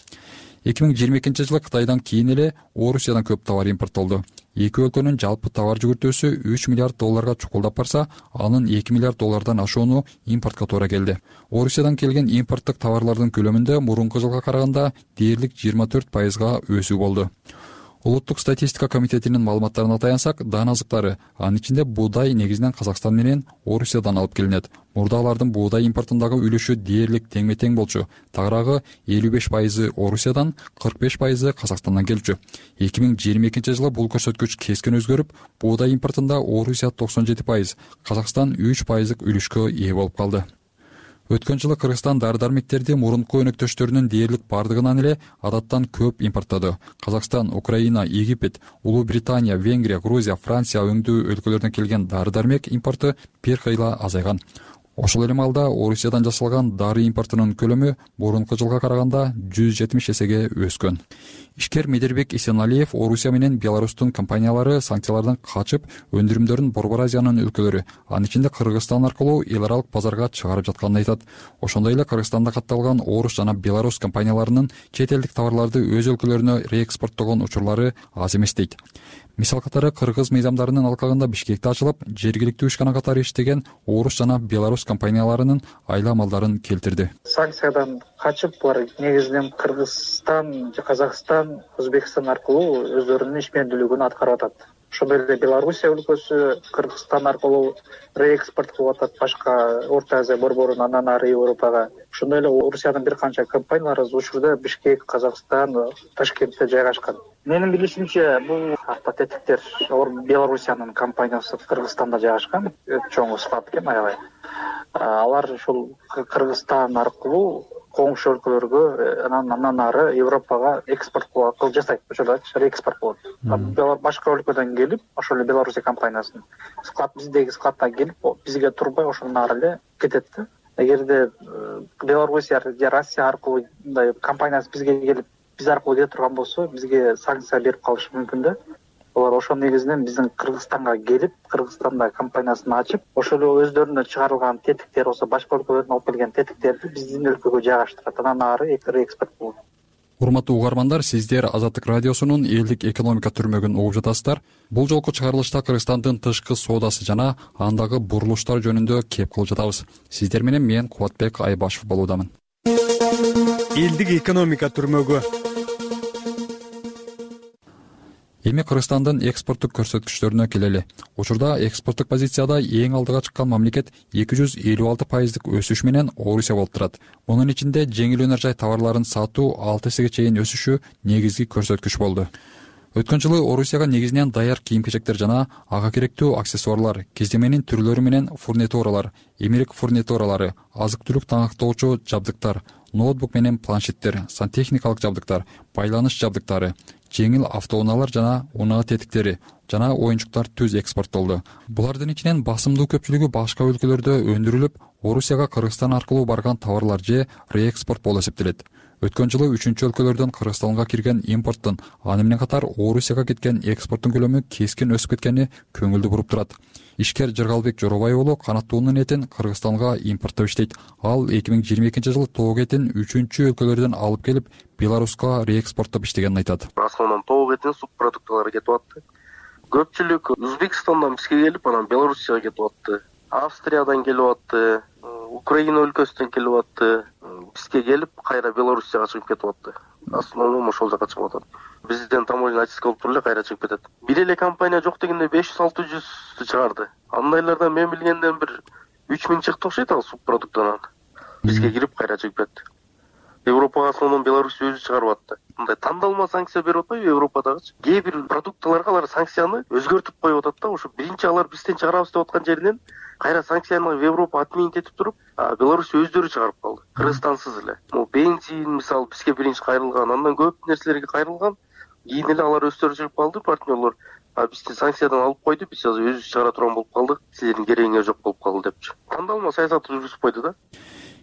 2022 жылы Кытайдан кийин эле Орусиядан көп товар импорттолду. Эки өлкөнүн жалпы товар жүгүртүүсү 3 миллиард долларга чукулдап барса, анын 2 миллиард доллардан ашууну импортко туура келди. Орусиядан келген импорттук товарлардын көлөмүндө мурунку жылга караганда дээрлик 24%га өсүү болду. Улуттук статистика комитетинин маалыматтарына таянсак, дан азыктары, анын ичинде буудай негизинен Казакстан менен Орусиядан алып келинет. Мурда алардын буудай импортундагы үлүшү дээрлик теңме-тең болчу. Тагыраагы 55% Орусиядан, 45% Казакстандан келчү. 2022 жылы бул көрсөткүч кескен өзгөрүп, буудай импортунда Орусия 97%, Казакстан 3% үлүшкө ээ болуп калды. Өткөн жылы Кыргызстан дары-дармектерди мурунку өнөктөштөрүнүн дээрлик бардыгынан эле адаттан көп импорттоду. Казакстан, Украина, Египет, Улуу Британия, Венгрия, Грузия, Франция өңдүү өлкөлөрдөн келген дары-дармек импорту бир кыйла азайган. Ошол эле маалда Орусиядан жасалган дары импортунун көлөмү мурунку жылга караганда 170 эсеге өскөн. Ишкер Медербек Исеналиев Орусия менен Беларустун компаниялары санкциялардан качып, өндүрүмдөрүн Борбор Азиянын өлкөлөрү, анын ичинде Кыргызстан аркылуу эл аралык базарга чыгарып жатканын айтат. Ошондой эле Кыргызстанда катталган Орус жана Беларус компанияларынын чет элдик товарларды өз өлкөлөрүнө реэкспорттогон учурлары аз эмес дейт. Мисал катары Кыргыз мыйзамдарынын алкагында Бишкекте ачылып, жергиликтүү ишкана катары иштеген Орус жана Беларус компанияларынын айла малдарын келтирди. Санкциядан качып, булар негизинен Кыргызстан, Казакстан, Өзбекстан аркылуу өздөрүнүн ишмердүүлүгүн аткарып атат. Ошондой эле Белоруссия өлкөсү Кыргызстан аркылуу реэкспорт кылып атат башка Орто Азия борборун, андан ары Европага. Ошондой эле Орусиянын бир канча компаниялары учурда Бишкек, Казакстан, Ташкентте жайгашкан. Менин билишимче, бул автотетиктер Белоруссиянын компаниясы Кыргызстанда жайгашкан, чоң склад экен аябай. Алар ушул Кыргызстан аркылуу коңшу өлкөлөргө, андан ары Европага экспорт кылып жасайт. Ошоло реэкспорт болот. Башка өлкөдөн келип, ошол эле Белоруссия компаниясынын склад биздеги складдан келип, бизге турбай ошондон ары эле кетет да. Эгерде Белоруссия же Россия аркылуу мындай компаниясы бизге келип, биз аркылуу кете турган болсо, бизге санкция берип калышы мүмкүн да. Олар ошол негизинен биздин Кыргызстанга келип, Кыргызстанда компаниясын ачып, ошол өздөрүнө чыгарылган тетиктер болсо, башка өлкөлөрдөн алып келген тетиктерди биздин өлкөгө жайгаштырат. Андан ары реэкспорт болот. Урматтуу угармандар, сиздер Азаттык радиосунун элдик экономика түрмөгүн угуп жатасыздар. Бул жолку чыгарылышта Кыргызстандын тышкы соодасы жана андагы бурулуштар жөнүндө кеп кылып жатабыз. Сиздер менен мен Кубатбек Айбашев болуудамын. Элдик экономика түрмөгү. Эми Кыргызстандын экспорттук көрсөткүчтөрүнө келели. Учурда экспорттук позицияда эң алдыга чыккан мамлекет 256% өсүш менен Орусия болуп турат. Мунун ичинде жеңил өнөр жай товарларын сатуу 6 эсеге чейин өсүшү негизги көрсөткүч болду. Өткөн жылы Орусияга негизинен даяр кийим-кечектер жана ага керектүү аксессуарлар, кездеменин түрлөрү менен фурнитуралар, эмерек фурнитуралары, азык-түлүк таңактоочу жабдыктар, ноутбук менен планшеттер, сантехникалык жабдыктар, байланыш жабдыктары, жеңил автоунаалар жана унаа тетиктери жана оюнчуктар түз экспорттолду. Булардын ичинен басымдуу көпчүлүгү башка өлкөлөрдө өндүрүлүп, Орусияга Кыргызстан аркылуу барган товарлар же реэкспорт болуп эсептелет. Өткөн жылы 3-чү өлкөлөрдөн Кыргызстанга кирген импорттун, аны менен катар Орусияга кеткен экспорттун көлөмү кескин өсүп кеткени көңүлдү буруп турат. Ишкер Жыргалбек Жоробай уулу канаттуунун этин Кыргызстанга импорттоп иштейт. Ал 2022-жылы тоок этин 3-чү өлкөлөрдөн алып келип, Беларуска реэкспорттоп иштегенин айтат. Основном тоок этин субпродукталары кетип атты. Көпчүлүк Өзбекстандан бизге келип, анан Белоруссияга кетип атты. Австриядан келип атты, Украина өлкөсүнөн келип атты. Бизге келип, кайра Белоруссияга чыгып кетип атты. Основном ошол жака чыгып атат. Бизден таможня очистка болуп туруп эле кайра чыгып кетет. Бир эле компания жок дегенде 500-600 чыгарды. Андайлардан мен билгенден бир 3000 чыкты окшойт ал субпродуктан. Бизге кирип кайра чыгып кетти. Европага основном Беларусь өзү чыгарып атты. Мындай тандалма санкция берип атпайбы Европадагычы? Кээ бир продукталарга алар санкцияны өзгөртүп коюп атат да, ошо биринчи алар бизден чыгарабыз деп аткан жеринен кайра санкцияны в Европа отменить этип туруп, Беларусь өздөрү чыгарып калды. Кыргызстансыз эле. Бензин мисалы бизге биринчи кайрылган, андан көп нерселерге кайрылган. Кийин эле алар өздөрү чыгып калды, партнерлор. Бизди санкциядан алып койду, биз азыр өзүбүз чыгара турган болуп калдык. Силердин керегиңер жок болуп калды депчи. Тандалма саясатты жүргүзүп койду да.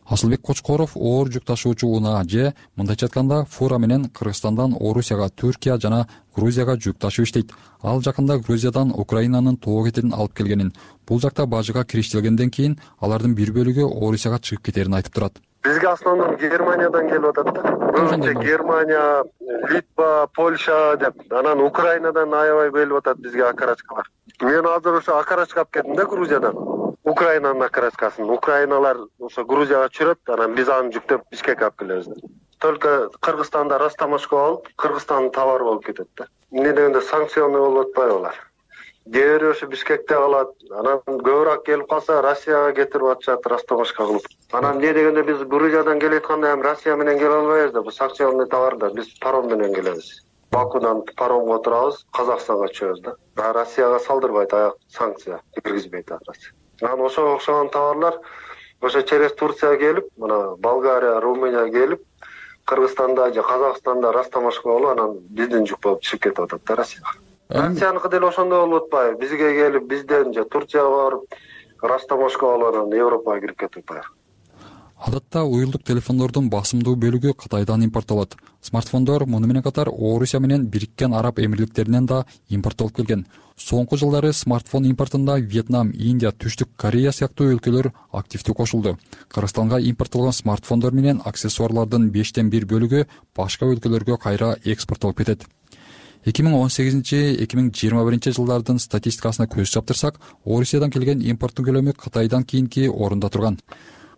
Асылбек Кочкоров оор жүк ташуучу унаа же мындайча айтканда фура менен Кыргызстандан Орусияга, Түркия жана Грузияга жүк ташып иштейт. Ал жакында Грузиядан Украинанын тоок этин алып келгенин, бул жакта бажыга кириштирилгенден кийин алардын бир бөлүгү Орусияга чыгып кетерин айтып турат. Бизге основном Германиядан келип атат да. Көбүнчө Германия, Литва, Польша деп, анан Украинадан аябай келип атат бизге окорочкалар. Мен азыр ошо окорочка алып кеттим да Грузиядан. Украинанын окорочкасын. Украиналар ошо Грузияга чүрөт, анан биз аны жүктөп Бишкекке алып келебиз. Только Кыргызстанда Растамашка болуп, Кыргызстандын товары болуп кетет да. Эмне дегенде санкционный болуп атпайбы алар. Кээ ошо Бишкекте калат, анан көбүрөөк келип калса Россияга кетирип атышат Растамашка кылып. Анан эмне дегенде биз Грузиядан келетканда эми Россия менен келе албайбыз да, бул санкционный товарда биз паром менен келебиз. Бакудан паромго отурабыз, Казакстанга чыгабыз да. Россияга салдырбайт аяк санкция, киргизбейт Россия. Анан ошого окшогон товарлар ошо через Турция келип, мына Болгария, Румыния келип, Кыргызстанда же Казакстанда Растамашка болуп, анан биздин жүк болуп чыгып кетип атат да Россияга. Россияныкы деле ошондой болуп атпайбы? Бизге келип, бизден же Турцияга барып, Растамашка болуп, анан Европага кирип кетип атпайбы? Адатта уюлдук телефондордун басымдуу бөлүгү Кытайдан импорттолот. Смартфондор муну менен катар Орусия менен Бириккен Араб Эмирликтеринен да импорттолуп келген. Соңку жылдары смартфон импортунда Вьетнам, Индия, Түштүк Корея сыяктуу өлкөлөр активдүү кошулду. Кыргызстанга импорттолгон смартфондор менен аксессуарлардын 5-1 бөлүгү башка өлкөлөргө кайра экспорттолуп кетет. 2018-2021 жылдардын статистикасына көз чаптырсак, Орусиядан келген импорттун көлөмү Кытайдан кийинки орунда турган.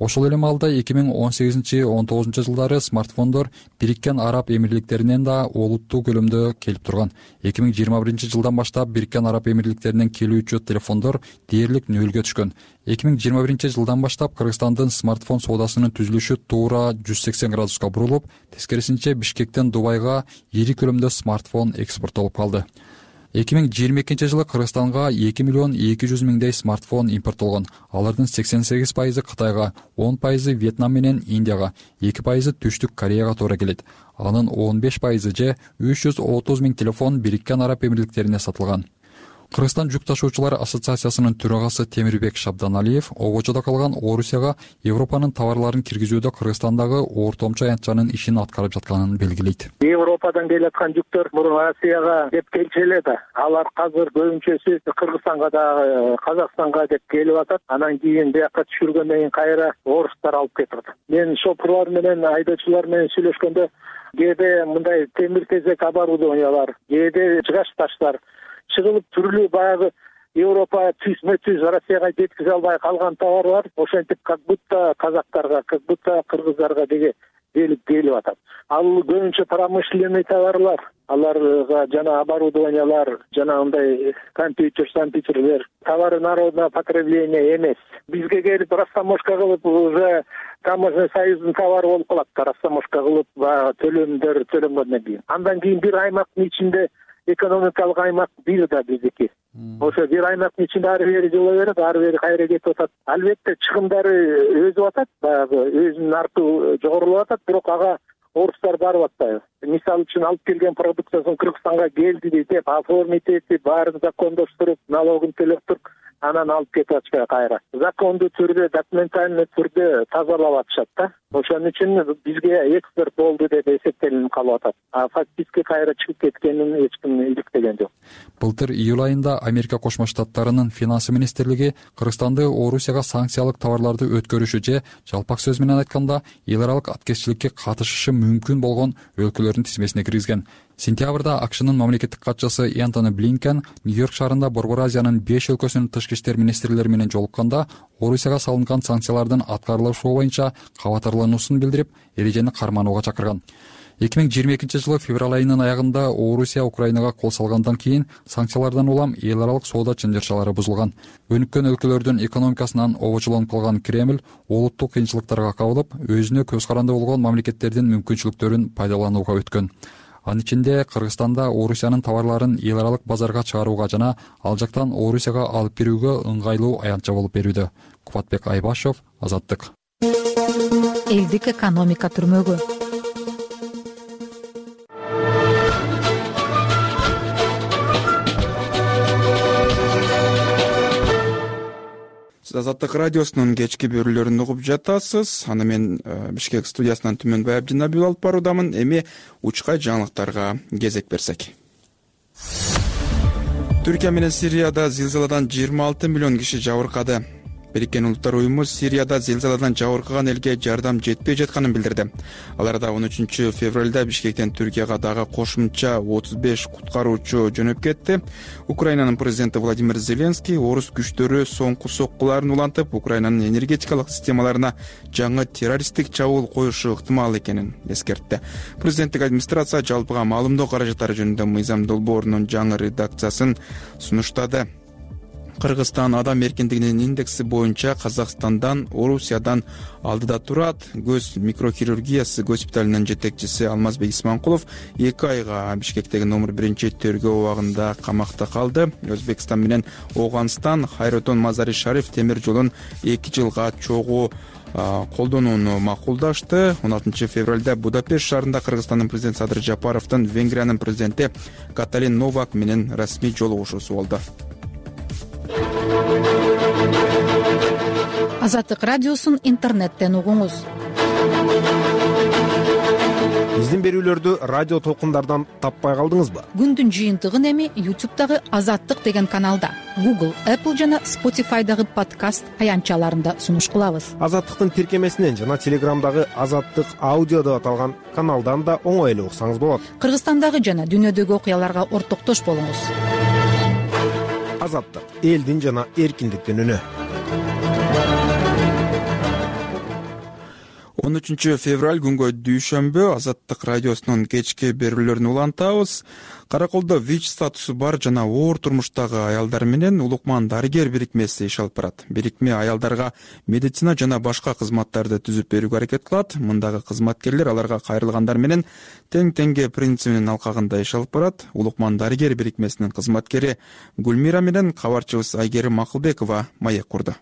Ошол эле маалда 2018-19 жылдары смартфондор Бириккен Араб Эмирликтеринен да олуттуу көлөмдө келип турган. 2021 жылдан баштап Бириккен Араб Эмирликтеринен келүүчү телефондор дээрлик нөлгө түшкөн. 2021 жылдан баштап Кыргызстандын смартфон соодасынын түзүлүшү туура 180 градуска бурулуп, тескерисинче Бишкектен Дубайга ири көлөмдө смартфон экспорттолуп калды. 2022 жылы Кыргызстанга 2 миллион 200 миңдей смартфон импорттолгон. Алардын 88% Кытайга, 10% Вьетнам менен Индияга, 2% Түштүк Кореяга туура келет. Анын 15% же 330 миң телефон Бириккен Араб Эмирликтерине сатылган. Кыргызстан жүк ташуучулар ассоциациясынын төрагасы Темирбек Шабданалиев обочодо калган Орусияга Европанын товарларын киргизүүдө Кыргызстандагы ортомчу аянтчанын ишин аткарып жатканын белгилейт. Европадан келаткан жүктөр мурун Россияга деп келчү эле да. Алар азыр көбүнчөсү Кыргызстанга да, Казакстанга деп келип атат. Анан кийин бияка түшүргөндөн кийин кайра орустар алып кетип атат. Мен шоферлор менен, айдоочулар менен сүйлөшкөндө кээде мындай темир тезек оборудованиялар, кээде жыгач таштар чыгылып түрлүү баягы Европа түз Россияга жеткизе албай калган товарлар ошентип как будто казактарга, как будто кыргыздарга деге келип атат. Ал көбүнчө промышленный товарлар, аларга жана оборудованиялар, жана мындай компьютерлер товары народного потребления эмес. Бизге келип растаможка кылып уже таможенный союздун товары болуп калат. Растаможка кылып төлөмдөр төлөнгөндөн кийин. Андан кийин бир аймактын ичинде экономикалык аймак бир да биздики. Ошо бир аймактын ичинде ары бери жыла берет, ары бери кайра кетип атат. Албетте чыгымдары өсүп атат, баягы өзүнүн наркы жогорулап атат, бирок ага орустар барып атпайбы. Мисалы үчүн алып келген продукциясын Кыргызстанга келди деп оформить этип, баарын закондоштуруп, налогун төлөп туруп, анан алып кетип атышпайбы кайра. Закондуу түрдө, документальный түрдө тазалап атышат да. Ошон үчүн бизге экспорт болду деп эсептелип калып атат. Фактически кайра чыгып кеткенин эч ким иликтеген жок. Былтыр июль айында Америка Кошмо Штаттарынын финанс министрлиги Кыргызстанды Орусияга санкциялык товарларды өткөрүшү же жалпак сөз менен айтканда эл аралык аткезчиликке катышышы мүмкүн болгон өлкөлөрдүн тизмесине киргизген. Сентябрда АКШнын мамлекеттик катчысы Энтони Блинкен Нью-Йорк шаарында Борбор Азиянын 5 өлкөсүнүн тышкы иштер министрлери менен жолукканда Орусияга салынган санкциялардын аткарылышы боюнча кабатырлануусун билдирип, эрежени карманууга чакырган. 2022 жылы февраль айынын аягында Орусия Украинага кол салгандан кийин санкциялардан улам эл аралык соода чынжырчалары бузулган. Өнүккөн өлкөлөрдүн экономикасынан обочолонуп калган Кремль олуттук кыйынчылыктарга кабылып, өзүнө көз каранды болгон мамлекеттердин мүмкүнчүлүктөрүн пайдаланууга өткөн. Анын ичинде Кыргызстанда Орусиянын товарларын эл аралык базарга чыгарууга жана ал жактан Орусияга алып кирүүгө ыңгайлуу аянтча болуп берүүдө. Кубатбек Айбашев, Азаттык. Элдик экономика түрмөгү. Азаттык радиосунун кечки берүүлөрүн угуп жатасыз. Аны мен Бишкек студиясынан Түмөнбай Абдинабиев алып баруудамын. Эми учкай жаңылыктарга кезек берсек. Түркия менен Сирияда зилзаладан 26 миллион киши жабыркады. Бириккен Улуттар уюму Сирияда зилзаладан жабыркаган элге жардам жетпей жатканын билдирди. Аларда 13 февралда Бишкектен Түркияга дагы кошумча 35 куткаруучу жөнөп кетти. Украинанын президенти Владимир Зеленский орус күчтөрү соңку соккуларын улантып, Украинанын энергетикалык системаларына жаңы террористтик чабуул коюшу ыктымал экенин эскертти. Президенттик администрация жалпыга маалымдоо каражаттары жөнүндө мыйзам долбоорунун жаңы редакциясын сунуштады. Кыргызстан адам эркиндигинин индекси боюнча Казакстандан, Орусиядан алдыда турат. Көз микрохирургиясы госпиталынын жетекчиси Алмазбек Исманкулов 2 айга Бишкектеги номер 1 тергөө абагында камакта калды. Өзбекстан менен Ооганстан Хайротон Мазари Шариф темир жолун 2 жылга чогуу колдонууну макулдашты. 16 февралда Будапешт шаарында Кыргызстандын президенти Садыр Жапаровдун Венгриянын президенти Каталин Новак менен расмий жолугушуусу болду. Азаттык радиосун интернеттен угуңуз. Биздин берүүлөрдү радио толкундардан таппай калдыңызбы? Күндүн жыйынтыгын эми YouTube'дагы Азаттык деген каналда, Google, Apple жана Spotify'дагы подкаст аянтчаларында сунуш кылабыз. Азаттыктын тиркемесинен жана Телеграмдагы Азаттык аудио деп аталган каналдан да оңой эле уксаңыз болот. Кыргызстандагы жана дүйнөдөгү окуяларга ортоктош болуңуз. Азаттык элдин жана эркиндиктин үнү. 13 февраль күнгө дүйшөмбү Азаттык радиосунун кечки берүүлөрүн улантабыз. Караколдо ВИЧ статусу бар жана оор турмуштагы аялдар менен Улукман дарыгер бирикмеси иш алып барат. Бирикме аялдарга медицина жана башка кызматтарды түзүп берүүгө аракет кылат. Мындагы кызматкерлер аларга кайрылгандар менен тең-теңге принцибинин алкагында иш алып барат. Улукман дарыгер бирикмесинин кызматкери Гүлмира менен кабарчыбыз Айгерим Макылбекова маек курду.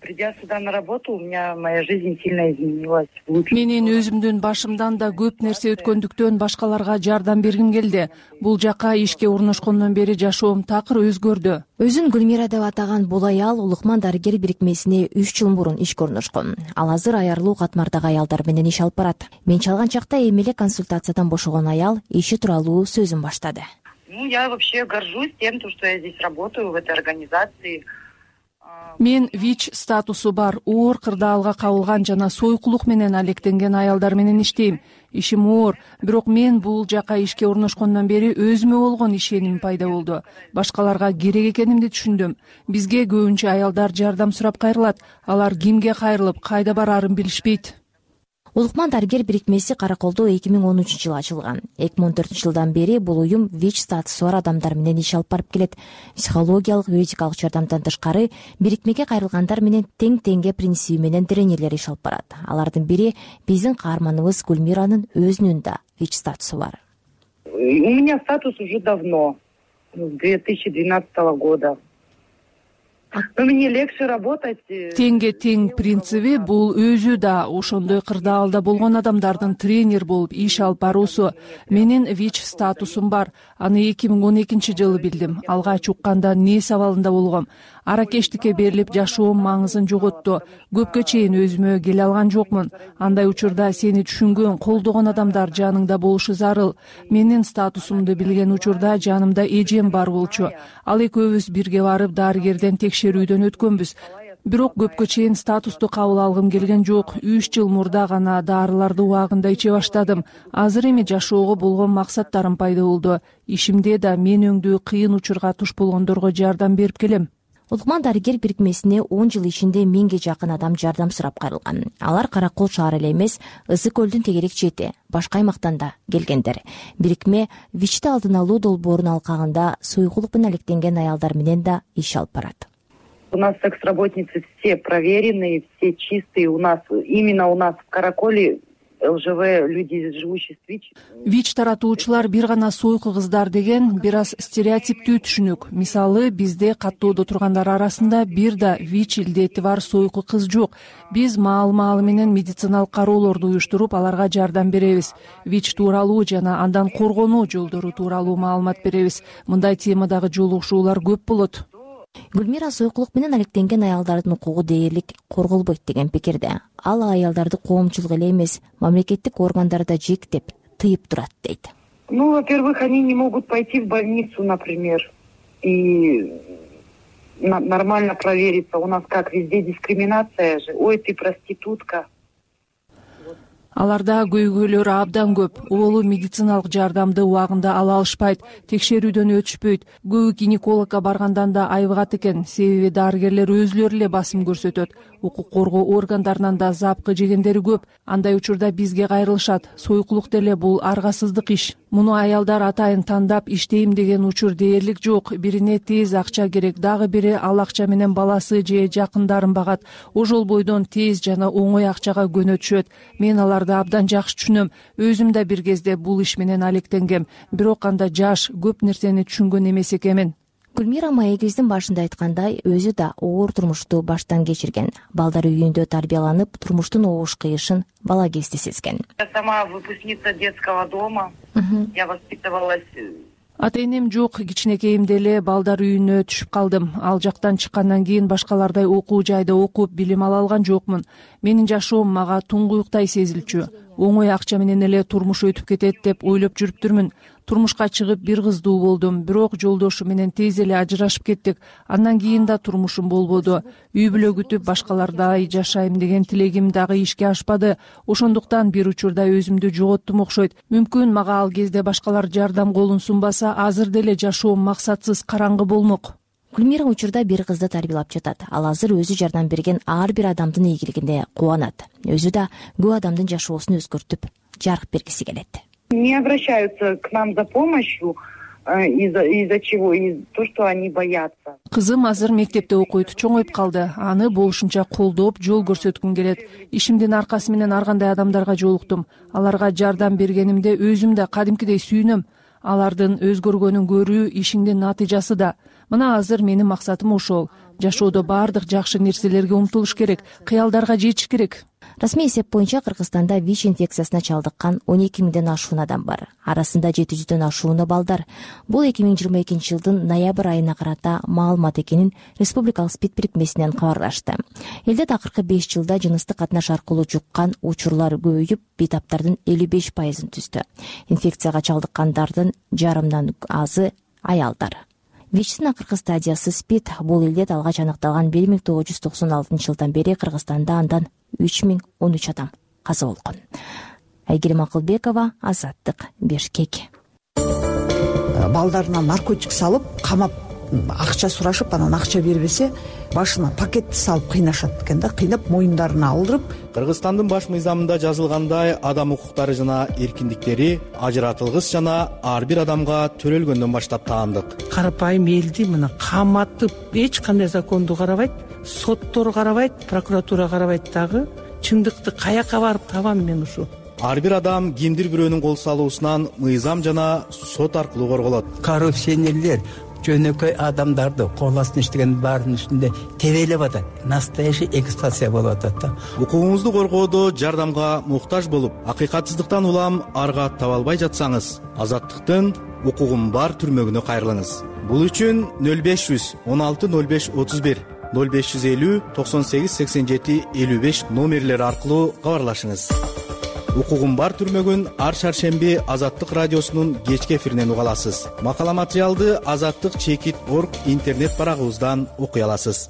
Придя сюда на работу, у меня моя жизнь сильно изменилась. Менин өзүмдүн башымдан да көп нерсе өткөндүктөн башкаларга жардам бергим келди. Бул жака ишке орношкондон бери жашоом такыр өзгөрдү. Өзүн Гүлмира деп атаган бул аял Улукман дарыгер бирикмесине 3 жыл мурун ишке орношкон. Ал азыр аярлуу катмардагы аялдар менен иш алып барат. Мен чалган чакта эми эле консультациядан бошогон аял иши тууралуу сөзүн баштады. Я вообще горжусь тем, что я здесь работаю в этой организации. Мен ВИЧ статусу бар, оор кырдаалга кабылган жана сойкулук менен алектенген аялдар менен иштейм. Ишим оор, бирок мен бул жака ишке орношкондон бери өзүмө болгон ишеним пайда болду. Башкаларга керек экенимди түшүндүм. Бизге көбүнчө аялдар жардам сурап кайрылат. Алар кимге кайрылып, кайда бараарын билишпейт. Улукман дарыгер бирикмеси Караколдо 2013-жылы ачылган. 2014-жылдан бери бул уюм ВИЧ статусу бар адамдар менен иш алып барып келет. Психологиялык, юридикалык жардамдан тышкары бирикмеге кайрылгандар менен тең-теңге принциби менен тренерлер иш алып барат. Алардын бири биздин каарманыбыз Гүлмиранын өзүнүн да ВИЧ статусу бар. У меня статус уже давно, с 2012 года. Но мне легче работать. Теңге тең принциби бул өзү да ошондой кырдаалда болгон адамдардын тренер болуп иш алып баруусу. Менин ВИЧ статусум бар. Аны 2012-жылы билдим. Алгач укканда нээс абалында болгом. Аракештикке берилип жашоом маңызын жоготту. Көпкө чейин өзүмө келе алган жокмун. Андай учурда сени түшүнгөн, колдогон адамдар жаныңда болушу зарыл. Менин статусумду билген учурда жанымда эжем бар болчу. Ал экөөбүз бирге барып дарыгерден текшерүүдөн өткөнбүз. Бирок көпкө чейин статусту кабыл алгым келген жок. 3 жыл мурда гана дарыларды убагында иче баштадым. Азыр эми жашоого болгон максаттарым пайда болду. Ишимде да мен өңдүү кыйын учурга туш болгондорго жардам берип келем. Улукман дарыгер бирикмесине 10 жыл ичинде 1000ге жакын адам жардам сурап кайрылган. Алар Каракол шаары эле эмес, Ысык көлдүн тегерек чети, башка аймактан да келгендер. Бирикме ВИЧти алдын алуу долбоорун алкагында суйкулук менен алектенген аялдар менен да иш алып барат. У нас секс-работницы все проверенные, все чистые. Именно у нас в Караколе ЛЖВ, люди, живущие с ВИЧ. ВИЧ таратуучулар бир гана сойку кыздар деген бир аз стереотиптүү түшүнүк. Мисалы, бизде каттоодо тургандар арасында бир да ВИЧ илдети бар сойку кыз жок. Биз маал менен медициналык кароолорду уюштуруп, аларга жардам беребиз. ВИЧ тууралуу жана андан коргонуу жолдору тууралуу маалымат беребиз. Мындай темадагы жолугушуулар көп болот. Гүлмира сойкулук менен алектенген аялдардын укугу дээрлик корголбойт деген пикирде. Ал аялдарды коомчулук эле эмес, мамлекеттик органдар да жектеп, тыйып турат дейт. Во-первых, они не могут пойти в больницу, например, и нормально провериться. У нас как, везде дискриминация же. Ой, ты проститутка. Аларда көйгөйлөр абдан көп. Оолу медициналык жардамды убагында ала алышпайт, текшерүүдөн өтүшпөйт. Көбү гинекологко баргандан да айбыгат экен, себеби дарыгерлер өзүлөрү эле басым көрсөтөт. Укук коргоо органдарынан да запкы жегендери көп. Андай учурда бизге кайрылышат. Сойкулук деле бул аргасыздык иш. Муну аялдар атайын тандап иштейм деген учур дээрлик жок. Бирине тез акча керек, дагы бири ал акча менен баласы же жакындарын багат. Ошол бойдон тез жана оңой акчага көнөтүшөт. Мен аларды абдан жакшы түшүнөм. Өзүм да бир кезде бул иш менен алектенгем. Бирок анда жаш, көп нерсени түшүнгөн эмес экенмин. Гүлмира маегибиздин башында айткандай, өзү да оор турмушту баштан кечирген. Балдар үйүндө тарбияланып, турмуштун оош кыйышын бала кезде сезген. Я сама выпускница детского дома. Я воспитывалась. Ата-энем жок, кичинекейимде эле балдар үйүнө түшүп калдым. Ал жактан чыккандан кийин башкалардай окуу жайда окуп, билим ала алган жокмун. Менин жашоом мага туңгуюктай сезилчү. Оңой акча менен эле турмуш өтүп кетет деп ойлоп жүрүптүрмүн. Турмушка чыгып бир кыздуу болдум, бирок жолдошу менен тез эле ажырашып кеттик. Андан кийин да турмушум болбоду. Үй бүлө күтүп башкалардай жашайм деген тилегим дагы ишке ашпады. Ошондуктан бир учурда өзүмдү жоготтум окшойт. Мүмкүн мага ал кезде башкалар жардам колун сунбаса, азыр деле жашоом максатсыз караңгы болмок. Гүлмира учурда бир кызды тарбиялап жатат. Ал азыр өзү жардам берген ар бир адамдын ийгилигине кубанат. Өзү да көп адамдын жашоосун өзгөртүп, жарык бергиси келет. Не обращаются к нам за помощью из-за чего? Из-за того, что они боятся. Кызым азыр мектепте окуйт, чоңоюп калды. Аны болушунча колдоп, жол көрсөткүм келет. Ишимдин аркасы менен ар кандай адамдарга жолуктум. Аларга жардам бергенимде өзүм да кадимкидей сүйүнөм. Алардын өзгөргөнүн көрүү ишиңдин натыйжасы да. Мына азыр менин максатым ошол. Жашоодо баардык жакшы нерселерге умтулуш керек, кыялдарга жетиш керек. Расмий эсеп боюнча Кыргызстанда ВИЧ инфекциясына чалдыккан 12 миңден ашуун адам бар. Арасында 700дөн ашууну балдар. Бул 2022-жылдын ноябрь айына карата маалымат экенин Республикалык СПИД бирикмесинен кабарлашты. Элде акыркы 5 жылда жыныстык катнаш аркылуу жуккан учурлар көбөйүп, бейтаптардын 55%-ын түздү. Инфекцияга чалдыккандардын жарымдан азы аялдар. ВИЧтин акыркы стадиясы СПИД. Бул илдет алгач аныкталган 1996-жылдан бери Кыргызстанда андан 3013 адам каза болгон. Айгерим Акылбекова, Азаттык, Бишкек. Балдарына наркотик салып, камап акча сурашып анан акча бербесе башына пакетти салып кыйнашат экен да, кыйнап моюндарына алдырып. Кыргызстандын баш мыйзамында жазылгандай адам укуктары жана эркиндиктери ажыратылгыс жана ар бир адамга төрөлгөндөн баштап таандык. Карапайым элди мына каматып эч кандай законду карабайт, соттор карабайт, прокуратура карабайт дагы. Чындыкты каяка барып табам мен ушу? Ар бир адам кимдир бирөөнүн кол салуусунан мыйзам жана сот аркылуу корголот. Коррупционерлер жөнөкөй адамдарды кол астына иштеген баарынын үстүндө тебелеп атат. Настоящий эксплуатация болуп атат да. Укугуңузду коргоодо жардамга муктаж болуп, акыйкатсыздыктан улам арга таба албай жатсаңыз, Азаттыктын укугум бар түрмөгүнө кайрылыңыз. Бул үчүн 0500 16 05 31 0550 98 87 55 номерлери аркылуу кабарлашыңыз. Укугум бар түрмөгүн ар шаршемби Азаттык радиосунун кечки эфиринен уга аласыз. Макала материалды azаттык.org интернет барагыбыздан окуй аласыз.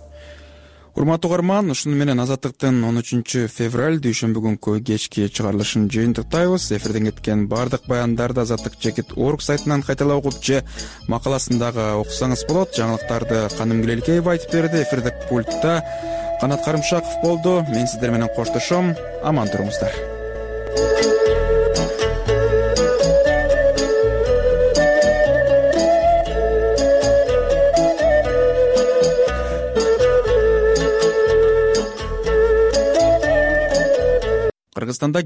Урматтуу угарман, ушуну менен Азаттыктын 13 февраль дүйшөмбү күнкү кечки чыгарылышын жыйынтыктайбыз. Эфирден кеткен бардык баяндарды azаттык.org сайтынан кайталап угуп же макаласындагы окусаңыз болот. Жаңылыктарды Каным Гүлелкеева айтып берди. Эфирдик пультта Канат Карымшаков болду. Мен сиздер менен коштошом. Аман туруңуздар. Кыргызстанда